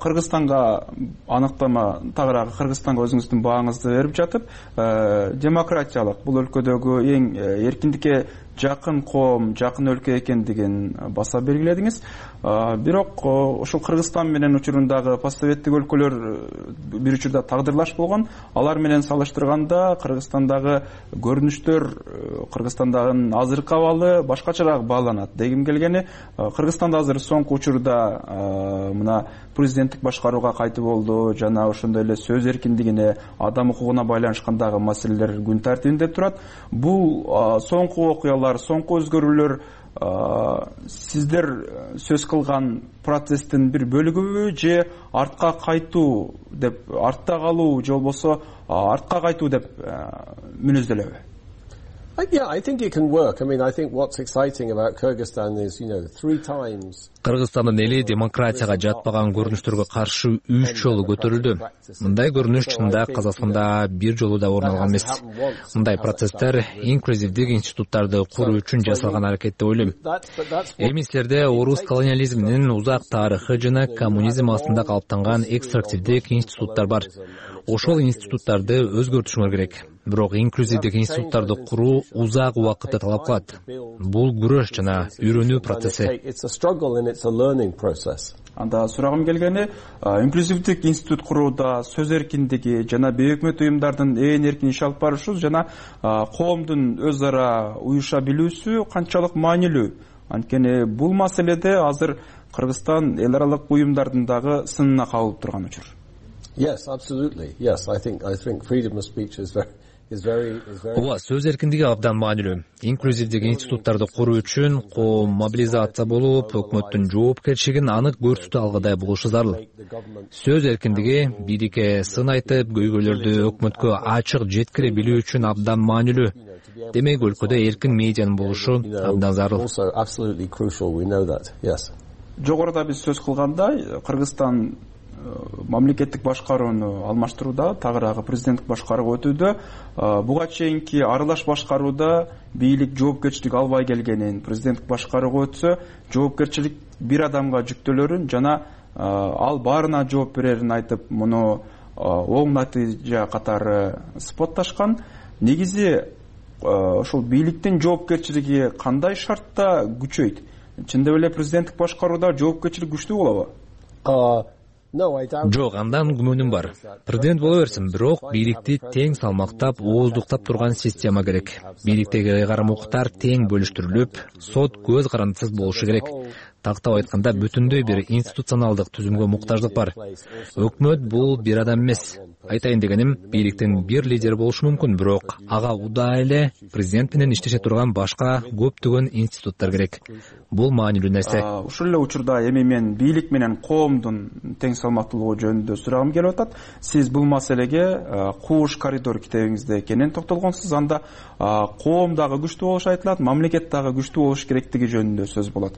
Кыргызстанга аныктама тагыраагы Кыргызстанга өзүңүздүн бааңызды берип жатып, демократиялык бул өлкөдөгү эң эркиндикке жакын коом, жакын өлкө экендигин баса белгиледиңиз. Бирок ошол Кыргызстан менен учурундагы постсоветтик өлкөлөр бир учурда тагдырлаш болгон. Алар менен салыштырганда Кыргызстандагы көрүнүштөр Кыргызстандагы азыркы абалы башкачараак бааланат. Дегим келгени, Кыргызстанда азыр соңку учурда мына президенттик башкарууга кайтып болду жана ошондой эле сөз эркиндигине, адам укугуна байланышкандагы маселелер күн тартибинде турат. Бул соңку окуялар, соңку өзгөрүүлөр сиздер сөз кылган процесстин бир бөлүгүбү же артка кайтуу деп, артта калуу же болбосо артка кайтуу деп мүнөздөлөбү? Yeah, I think it can work. I mean, I think what's exciting about Kyrgyzstan is, you know, three times. Кыргызстандын эли демократияга жатпаган көрүнүштөргө каршы үч жолу көтөрүлдү. Мындай көрүнүш чында Казакстанда бир жолу да орун алган эмес. Мындай процесстер инклюзивдик институттарды куруу үчүн жасалган аракет деп ойлойм. Эми силерде орус колониализминин узак тарыхы жана коммунизм астында калыптанган экстрактивдик институттар бар. Ошол институттарды өзгөртүшүңөр керек. бирок инклюзивдик институттарды куруу узак убакытты талап кылат. Бул күрөш жана үйрөнүү процесси. Анда сурагым келгени, инклюзивдик институт курууда сөз эркиндиги жана бейөкмөт уюмдардын ээн эркин иш алып барышы жана коомдун өз ара уюша билүүсү канчалык маанилүү? Анткени бул маселеде азыр Кыргызстан эл аралык уюмдардын дагы сынына кабылып турган учур. Yes, absolutely. Yes, I think I think freedom of speech is very is very is very Ооба, сөз эркиндиги абдан маанилүү. Инклюзивдик институттарды куруу үчүн коом мобилизация болуп, өкмөттүн жоопкерчилигин анык көрсөтө алгыдай болушу зарыл. Сөз эркиндиги бирикке сын айтып, көйгөйлөрдү өкмөткө ачык жеткире билүү үчүн абдан маанилүү. Демек, өлкөдө эркин медианын болушу абдан зарыл. Жогоруда биз сөз кылгандай, Кыргызстан мамлекеттик башкарууну алмаштырууда, тагыраагы президенттик башкарууга өтүүдө, буга чейинки аралаш башкарууда бийлик жоопкерчилик албай келгенин, президенттик башкарууга өтсө, жоопкерчилик бир адамга жүктөлөрүн жана ал баарына жооп берерин айтып, муну оң натыйжа катары спотташкан. Негизи ошол бийликтин жоопкерчилиги кандай шартта күчөйт? Чындап эле президенттик башкарууда жоопкерчилик күчтүү болобу? Жок, андан күмөнүм бар. Президент боло берсин, бирок бийликти тең салмактап, ооздуктап турган система керек. Бийликтеги ыйгарым укуктар тең бөлүштүрүлүп, сот көз карандысыз болушу керек. Тактап айтканда, бүтүндөй бир институционалдык түзүмгө муктаждык бар. Өкмөт бул бир адам эмес. Айтайын дегеним, бийликтин бир лидери болушу мүмкүн, бирок ага удаа эле президент менен иштеше турган башка көптөгөн институттар керек. Бул маанилүү нерсе. Ушул эле учурда эми мен бийлик менен коомдун тең салмактуулугу жөнүндө сурагым келип атат. Сиз бул маселеге Кууш коридор китебиңизде кенен токтолгонсуз. Анда коом дагы күчтүү болушу айтылат, мамлекет дагы күчтүү болуш керектиги жөнүндө сөз болот.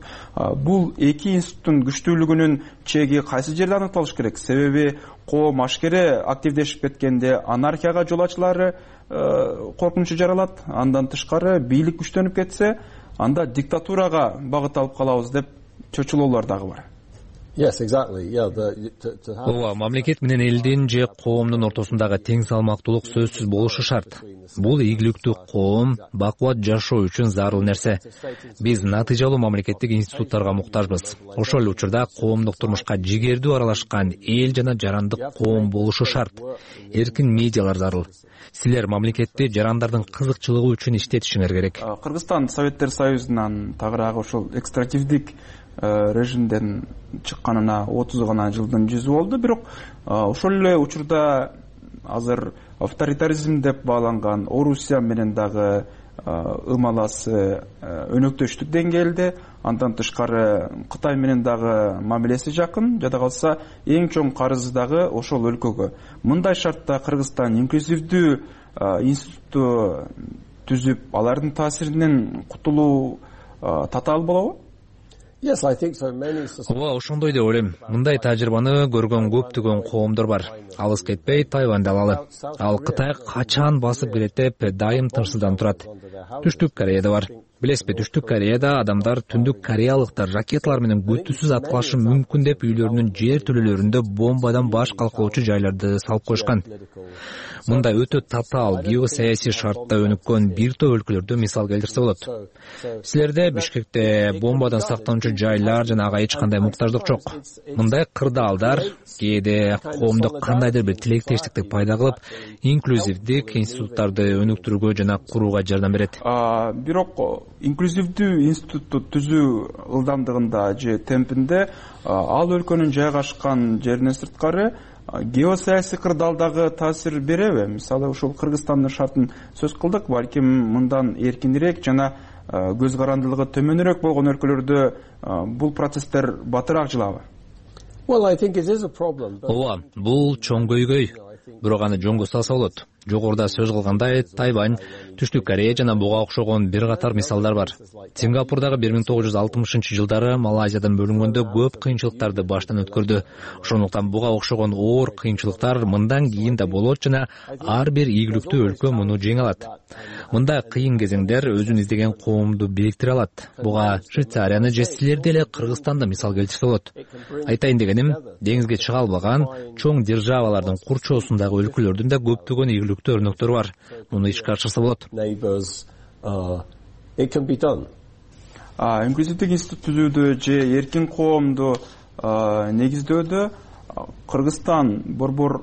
Бул эки институттун күчтүүлүгүнүн чеги кайсы жерде аныкталыш керек? Себеби коом ашкере активдешип кеткенде анархияга жол ачылары коркунучу жаралат. Андан тышкары бийлик күчтөнүп кетсе, анда диктатурага багыт алып калабыз деп чочулоолор дагы бар. Yes, exactly. Yeah, the to, to have Ооба, мамлекет менен элдин же коомдун ортосундагы тең салмактуулук сөзсүз болушу шарт. Бул ийгиликтүү коом, бакубат жашоо үчүн зарыл нерсе. Биз натыйжалуу мамлекеттик институттарга муктажбыз. Ошол эле учурда коомдук турмушка жигердүү аралашкан эл жана жарандык коом болушу шарт. Эркин медиалар зарыл. Силер мамлекетти жарандардын кызыкчылыгы үчүн иштетишиңер керек. Кыргызстан Советтер Союзунан тагыраагы ошол экстративдик режимден чыкканына отуз гана жылдын жүзү болду, бирок ошол эле учурда азыр авторитаризм деп бааланган Орусия менен дагы ымаласы өнөктөштүк деңгээлде, андан тышкары Кытай менен дагы мамилеси жакын, жада калса эң чоң карызы дагы ошол өлкөгө. Мындай шартта Кыргызстан инклюзивдүү институтту түзүп, алардын таасиринен кутулуу татаал болобу? Yes, I think so. Many Ооба, ошондой деп ойлойм. Мындай тажрыйбаны көргөн көптөгөн коомдор бар. Алыс кетпей Тайваньды алалы. Ал Кытай качан басып келет деп дайым тынчсызданып турат. Түштүк Кореяда бар. Билесизби, Түштүк Кореяда адамдар түндүк кореялыктар ракеталар менен күтүүсүз аткылашы мүмкүн деп үйлөрүнүн жер төлөлөрүндө бомбадан баш калкалоочу жайларды салып коюшкан. Мындай өтө татаал геосаясий шартта өнүккөн бир топ өлкөлөрдө мисал келтирсе болот. Силерде Бишкекте бомбадан сактануучу жайлар жана ага эч кандай муктаждык жок. Мындай кырдаалдар кээде коомдук кандайдыр бир тилектештикти пайда кылып, инклюзивдик институттарды өнүктүрүүгө жана курууга жардам берет. Бирок инклюзивдүү институтту түзүү ылдамдыгында же темпинде ал өлкөнүн жайгашкан жеринен сырткары геосаясий кырдаалдагы таасир береби? Мисалы, ушул Кыргызстандын шартын сөз кылдык, балким мындан эркинирээк жана көз карандылыгы төмөнүрөөк болгон өлкөлөрдө бул процесстер батыраак жылабы? Well, I think it is a problem. Ооба, бул чоң көйгөй. Бирок аны жөнгө салса болот. Жогоруда сөз кылгандай, Тайвань, Түштүк Корея жана буга окшогон бир катар мисалдар бар. Сингапурдагы бир миң тогуз жүз алтымышынчы жылдары Малайзиядан бөлүнгөндө көп кыйынчылыктарды баштан өткөрдү. Ошондуктан буга окшогон оор кыйынчылыктар мындан кийин да болот жана ар бир ийгиликтүү өлкө муну жеңе алат. Мындай кыйын кезеңдер өзүн издеген коомду бириктире алат. Буга Швейцарияны же силерди эле Кыргызстанды мисал келтирсе болот. Айтайын дегеним, деңизге чыга албаган чоң державалардын курчоосундагы өлкөлөрдүн да көптөгөн ийгиликтүү ийгиликтүү өрнөктөрү бар. Муну ишке ашырса болот. Инклюзивдик институт түзүүдө же эркин коомду негиздөөдө Кыргызстан борбор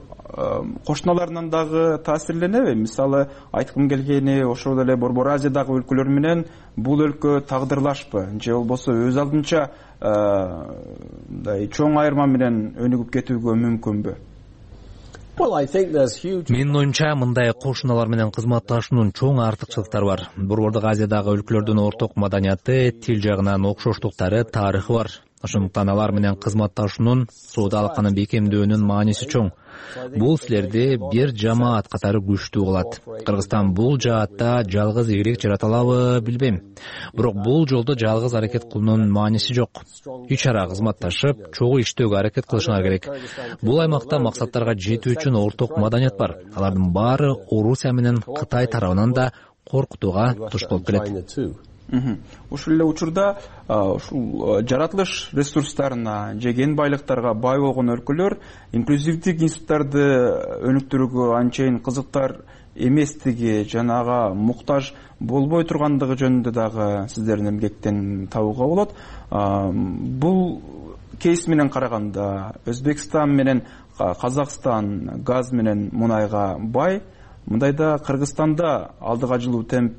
кошуналарынан дагы таасирленеби? Мисалы айткым келгени, ошол эле Борбор Азиядагы өлкөлөр менен бул өлкө тагдырлашпы же болбосо өз алдынча мындай чоң айырма менен өнүгүп кетүүгө мүмкүнбү? Менин оюмча мындай кошуналар менен кызматташуунун чоң артыкчылыктары бар. Борбордук Азиядагы өлкөлөрдүн орток маданияты, тил жагынан окшоштуктары, тарыхы бар. Ошондуктан алар менен кызматташуунун, соода алаканы бекемдөөнүн мааниси чоң. Бул силерди бир жамаат катары күчтүү кылат. Кыргызстан бул жаатта жалгыз ийгилик жарата алабы билбейм. Бирок бул жолдо жалгыз аракет кылуунун мааниси жок. Үч ара кызматташып, чогуу иштөөгө аракет кылышыңар керек. Бул аймакта максаттарга жетүү үчүн орток маданият бар. Алардын баары Орусия менен Кытай тарабынан да коркутууга туш болуп келет. Ушул эле учурда ушул жаратылыш ресурстарына же кен байлыктарга бай болгон өлкөлөр инклюзивдик институттарды өнүктүрүүгө анчейин кызыктар эместиги жана ага муктаж болбой тургандыгы жөнүндө дагы сиздердин эмгектен табууга болот. Бул кейс менен караганда Өзбекстан менен Казакстан газ менен мунайга бай. Мындайда Кыргызстанда алдыга жылуу темп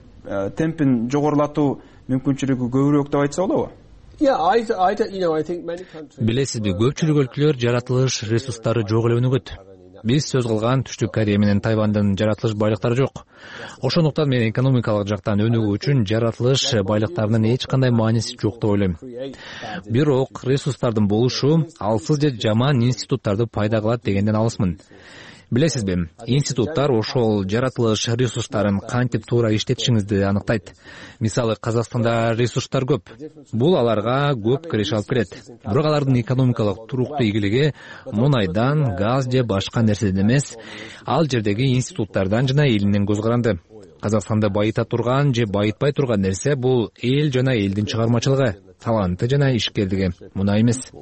темпин жогорулатуу мүмкүнчүлүгү көбүрөөк деп айтса болобу? Билесизби, көпчүлүк өлкөлөр жаратылыш ресурстары жок эле өнүгөт. Биз сөз кылган Түштүк Корея менен Тайвандын жаратылыш байлыктары жок. Ошондуктан мен экономикалык жактан өнүгүү үчүн жаратылыш байлыктарынын эч кандай мааниси жок деп ойлойм. Бирок ресурстардын болушу алсыз же жаман институттарды пайда кылат дегенден алысмын. Билесизби, институттар ошол жаратылыш ресурстарын кантип туура иштетишиңизди аныктайт. Мисалы, Казакстанда ресурстар көп. Бул аларга көп киреш алып келет. Бирок алардын экономикалык туруктуу ийгилиги мунайдан, газ же башка нерседен эмес, ал жердеги институттардан жана элинен көз каранды. Казакстанды байыта турган же байытпай турган нерсе бул эл жана элдин чыгармачылыгы, таланты жана ишкерлиги. Муна эмес.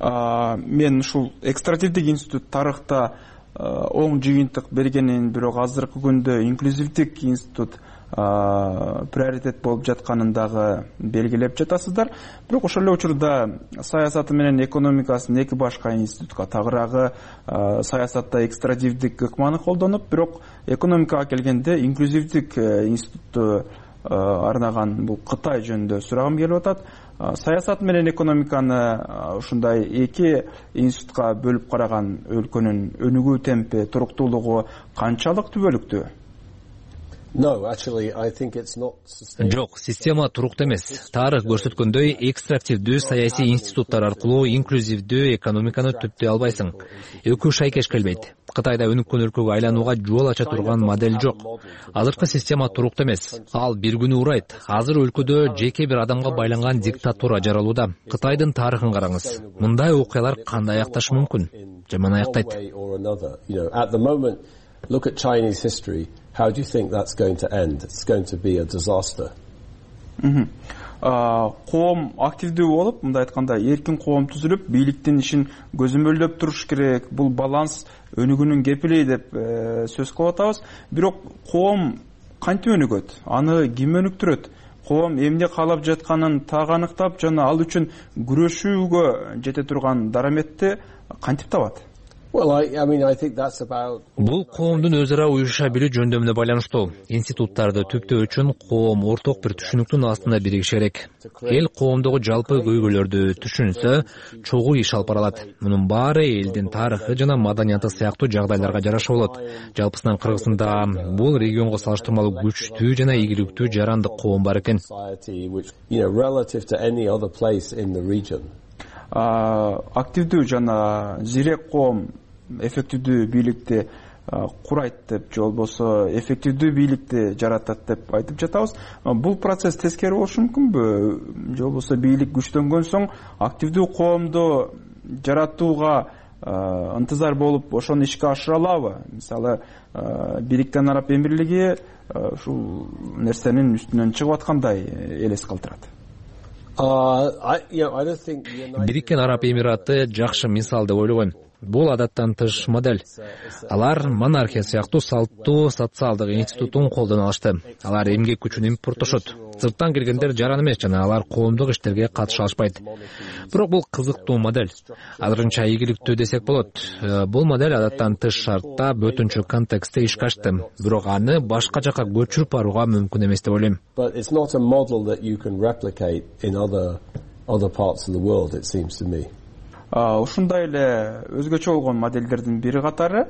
Мен ушул экстративдик институт тарыхта оң жыйынтык бергенин, бирок азыркы күндө инклюзивдик институт приоритет болуп жатканын дагы белгилеп жатасыздар. Бирок ошол эле учурда саясаты менен экономикасын эки башка институтка тагыраагы саясатта экстративдик ыкманы колдонуп, бирок экономикага келгенде инклюзивдик институтту арнаган бул Кытай жөнүндө сурагым келип атат. Саясат менен экономиканы ушундай эки институтка бөлүп караган өлкөнүн өнүгүү темпи, туруктуулугу канчалык түбөлүктүү? Жок, система туруктуу эмес. Тарых көрсөткөндөй, экстрактивдүү саясий институттар аркылуу инклюзивдүү экономиканы түптөй албайсың. Экөө шайкеш келбейт. Кытайда өнүккөн өлкөгө айланууга жол ача турган модель жок. Азыркы система туруктуу эмес. Ал бир күнү урайт. Азыр өлкөдө жеке бир адамга байланган диктатура жаралууда. Кытайдын тарыхын караңыз. Мындай окуялар кандай аякташы мүмкүн? Жаман аяктайт. Look at Chinese history. How do you think that's going to end? It's going to be a disaster. Коом активдүү болуп, мындай айтканда, эркин коом түзүлүп, бийликтин ишин көзөмөлдөп туруш керек. Бул баланс өнүгүүнүн кепили деп сөз кылып атабыз. Бирок коом кантип өнүгөт? Аны ким өнүктүрөт? Коом эмне каалап жатканын так аныктап жана ал үчүн күрөшүүгө жете турган дараметти кантип табат? Well, I, I mean, I think that's about... Бул коомдун өз ара уюша билүү жөнүндө менен байланыштуу. Институттарды түптөө үчүн коом орток бир түшүнүктүн астында биригиши керек. Эл коомдогу жалпы көйгөйлөрдү түшүнсө, чогуу иш алып баралат. Мунун баары элдин тарыхы жана маданияты сыяктуу жагдайларга жараша болот. Жалпысынан Кыргызстанда бул регионго салыштырмалуу күчтүү жана ийгиликтүү жарандык коом бар экен. Активдүү жана зирек коом эффективдүү бийликти курайт деп, же болбосо эффективдүү бийликти жаратат деп айтып жатабыз. Бул процесс тескери болушу мүмкүнбү? Же болбосо бийлик күчтөнгөн соң активдүү коомду жаратууга ынтызар болуп, ошону ишке ашыра алабы? Мисалы, Бириккен Араб Эмирлиги ушул нерсенин үстүнөн чыгып аткандай элес калтырат. Бириккен Араб Эмираты жакшы мисал деп ойлогом. бул адаттан тыш модель. Алар монархия сыяктуу салттуу социалдык институтун колдоно алышты. Алар эмгек күчүн импорттошот. Сырттан келгендер жаран эмес жана алар коомдук иштерге катыша алышпайт. Бирок бул кызыктуу модель. Азырынча ийгиликтүү десек болот. Бул модель адаттан тыш шартта бөтөнчө контекстте ишке ашты. Бирок аны башка жака көчүрүп барууга мүмкүн эмес деп ойлойм. But it's not a model that you can replicate in other other parts of the world, it seems to me. Ушундай эле өзгөчө болгон модельдердин бири катары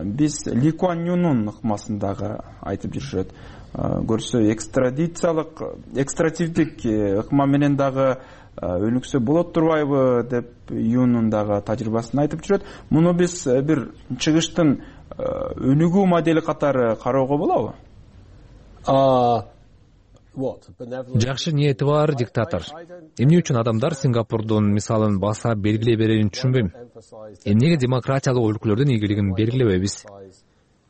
биз Ли Куан Юнун ыкмасындагы айтып жүрүшөт. Көрсө экстрадициялык, экстративдик ыкма менен дагы өнүксө болот турбайбы деп Юнун дагы тажрыйбасын айтып жүрөт. Муну биз бир чыгыштын өнүгүү модели катары кароого болобу? Жакшы ниети бар диктатор. Эмне үчүн адамдар Сингапурдун мисалын баса белгилей берерин түшүнбөйм. Эмнеге демократиялык өлкөлөрдүн ийгилигин белгилебейбиз?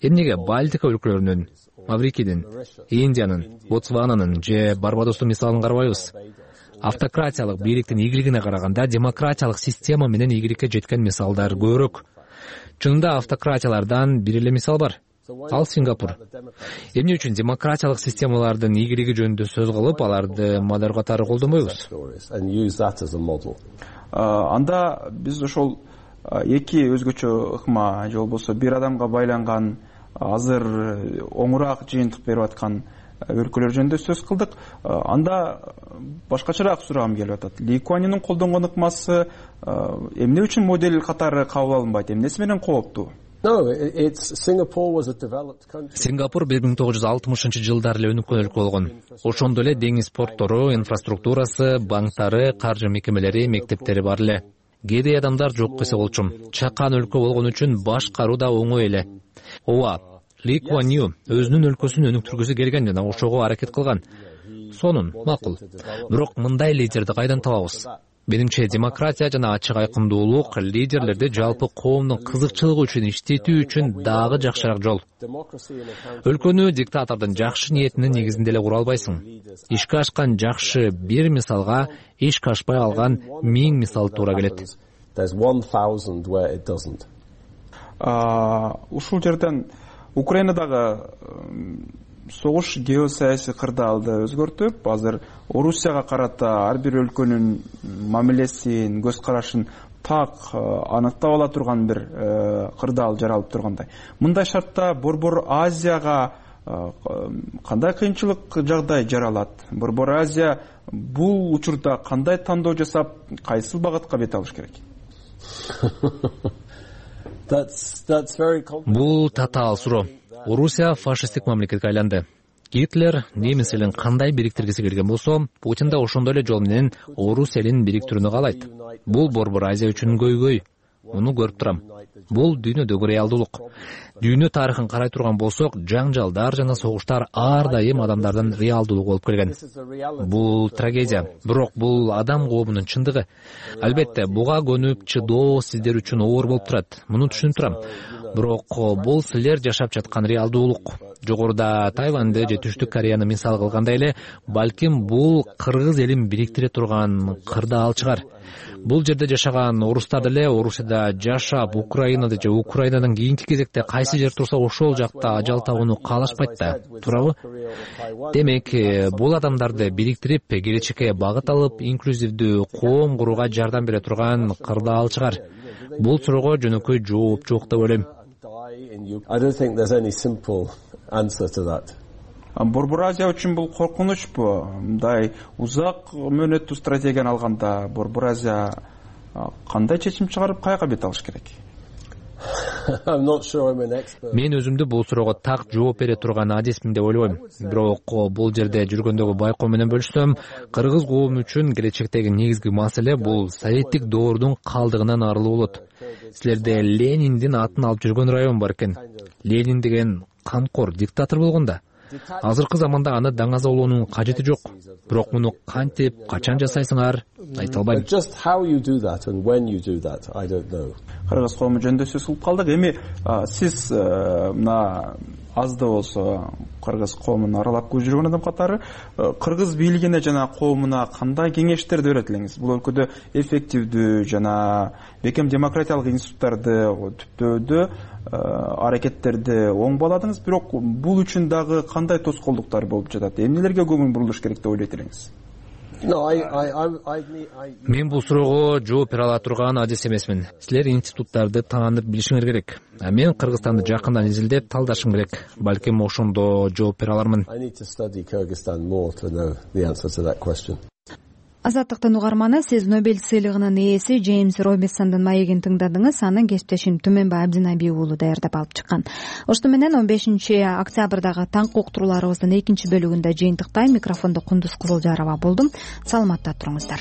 Эмнеге Балтика өлкөлөрүнүн, Маврикийдин, Индиянын, Ботсвананын же Барбадостун мисалын карабайбыз? Автократиялык бийликтин ийгилигине караганда демократиялык система менен ийгиликке жеткен мисалдар көбүрөөк. Чынында автократиялардан бир эле мисал бар. Ал Сингапур. Эмне үчүн демократиялык системалардын ийгилиги жөнүндө сөз кылып, аларды модель катары колдонбойбуз? Анда биз ошол эки өзгөчө ыкма же болбосо бир адамга байланган азыр оңураак жыйынтык берип аткан өлкөлөр жөнүндө сөз кылдык. Анда башкачараак сурагым келип атат. Ли Куан Юнун колдонгон ыкмасы эмне үчүн модель катары кабыл алынбайт? Эмнеси менен кооптуу? Сингапур бир миң тогуз жүз алтымышынчы жылдары эле өнүккөн өлкө болгон. Ошондо эле деңиз порттору, инфраструктурасы, банктары, каржы мекемелери, мектептери бар эле. Кедей адамдар жок десе болчу. Чакан өлкө болгон үчүн башкаруу да оңой эле. Ооба, Ли Куан Ю өзүнүн өлкөсүн өнүктүргүсү келген жана ошого аракет кылган. Сонун, макул. Бирок мындай лидерди кайдан табабыз? Менимче демократия жана ачык айкындуулук лидерлерди жалпы коомдун кызыкчылыгы үчүн иштетүү үчүн дагы жакшыраак жол. Өлкөнү диктатордун жакшы ниетинин негизинде эле кура албайсың. Ишке ашкан жакшы бир мисалга ишке ашпай алган миң мисал туура келет. Ушул жерден Украинадагы согуш геосаясий кырдаалды өзгөртүп, азыр Орусияга карата ар бир өлкөнүн мамилесин, көз карашын так аныктап ала турган бир кырдаал жаралып тургандай. Мындай шартта Борбор Азияга кандай кыйынчылык жагдай жаралат? Борбор Азия бул учурда кандай тандоо жасап, кайсыл багытка бет алыш керек? Бул татаал суроо. Орусия фашисттик мамлекетке айланды. Гитлер немис элин кандай бириктиргиси келген болсо, Путин да ошондой эле жол менен орус элин бириктирүүнү каалайт. Бул Борбор Азия үчүн көйгөй. Муну көрүп турам. Бул дүйнөдөгү реалдуулук. Дүйнө тарыхын карай турган болсок, жаңжалдар жана согуштар ар дайым адамдардын реалдуулугу болуп келген. Бул трагедия, бирок бул адам коомунун чындыгы. Албетте, буга көнүп чыдоо сиздер үчүн оор болуп турат. Муну түшүнүп турам. Бирок бул силер жашап жаткан реалдуулук. Жогоруда Тайваньды же Түштүк Кореяны мисал кылгандай эле, балким бул кыргыз элин бириктире турган кырдаал чыгар. Бул жерде жашаган орустар деле Орусияда жашап, Украинада же Украинадан кийинки кезекте кайсы жер турса ошол жакта ажал табууну каалашпайт да, туурабы? Демек, бул адамдарды бириктирип, келечекке багыт алып, инклюзивдүү коом курууга жардам бере турган кырдаал чыгар. Бул суроого жөнөкөй жооп жок деп ойлойм. Борбор Азия үчүн бул коркунучпу? Мындай узак мөөнөттүү стратегияны алганда Борбор Азия кандай чечим чыгарып, каяка бет алыш керек? Мен өзүмдү бул суроого так жооп бере турган адисмин деп ойлобойм. Бирок бул жерде жүргөндөгү байкоо менен бөлүшсөм, кыргыз коому үчүн келечектеги негизги маселе бул советтик доордун калдыгынан арылуу болот. Силерде Лениндин атын алып жүргөн район бар экен. Ленин деген камкор диктатор болгон да. Азыркы заманда аны даңазалоонун кажети жок. Бирок муну кантип, качан жасайсыңар, айта албайм. Кыргыз коому жөнүндө сөз кылып калдык. Эми сиз мына аз да болсо кыргыз коомун аралап жүргөн адам катары кыргыз бийлигине жана коомуна кандай кеңештерди берет элеңиз? Бул өлкөдө эффективдүү жана бекем демократиялык институттарды түптөөдө аракеттерди оң бааладыңыз, бирок бул үчүн дагы кандай тоскоолдуктар болуп жатат? Эмнелерге көңүл бурулуш керек деп ойлойт элеңиз? Мен бул суроого жооп бере ала турган адис эмесмин. Силер институттарды таанып билишиңер керек. Мен Кыргызстанды жакындан изилдеп талдашым керек. Балким ошондо жооп бере алармын. Азаттыктын угарманы, сиз Нобель сыйлыгынын ээси Джеймс Робинсондун маегин тыңдадыңыз. Анын кесиптешим Түмөнбай Абдинабий уулу даярдап алып чыккан. Ошто менен он бешинчи октябрдагы таңкы уктурууларыбыздын экинчи бөлүгүндө жыйынтыктайм. Микрофондо Кундуз Кызылжарова болдум. Саламатта туруңуздар.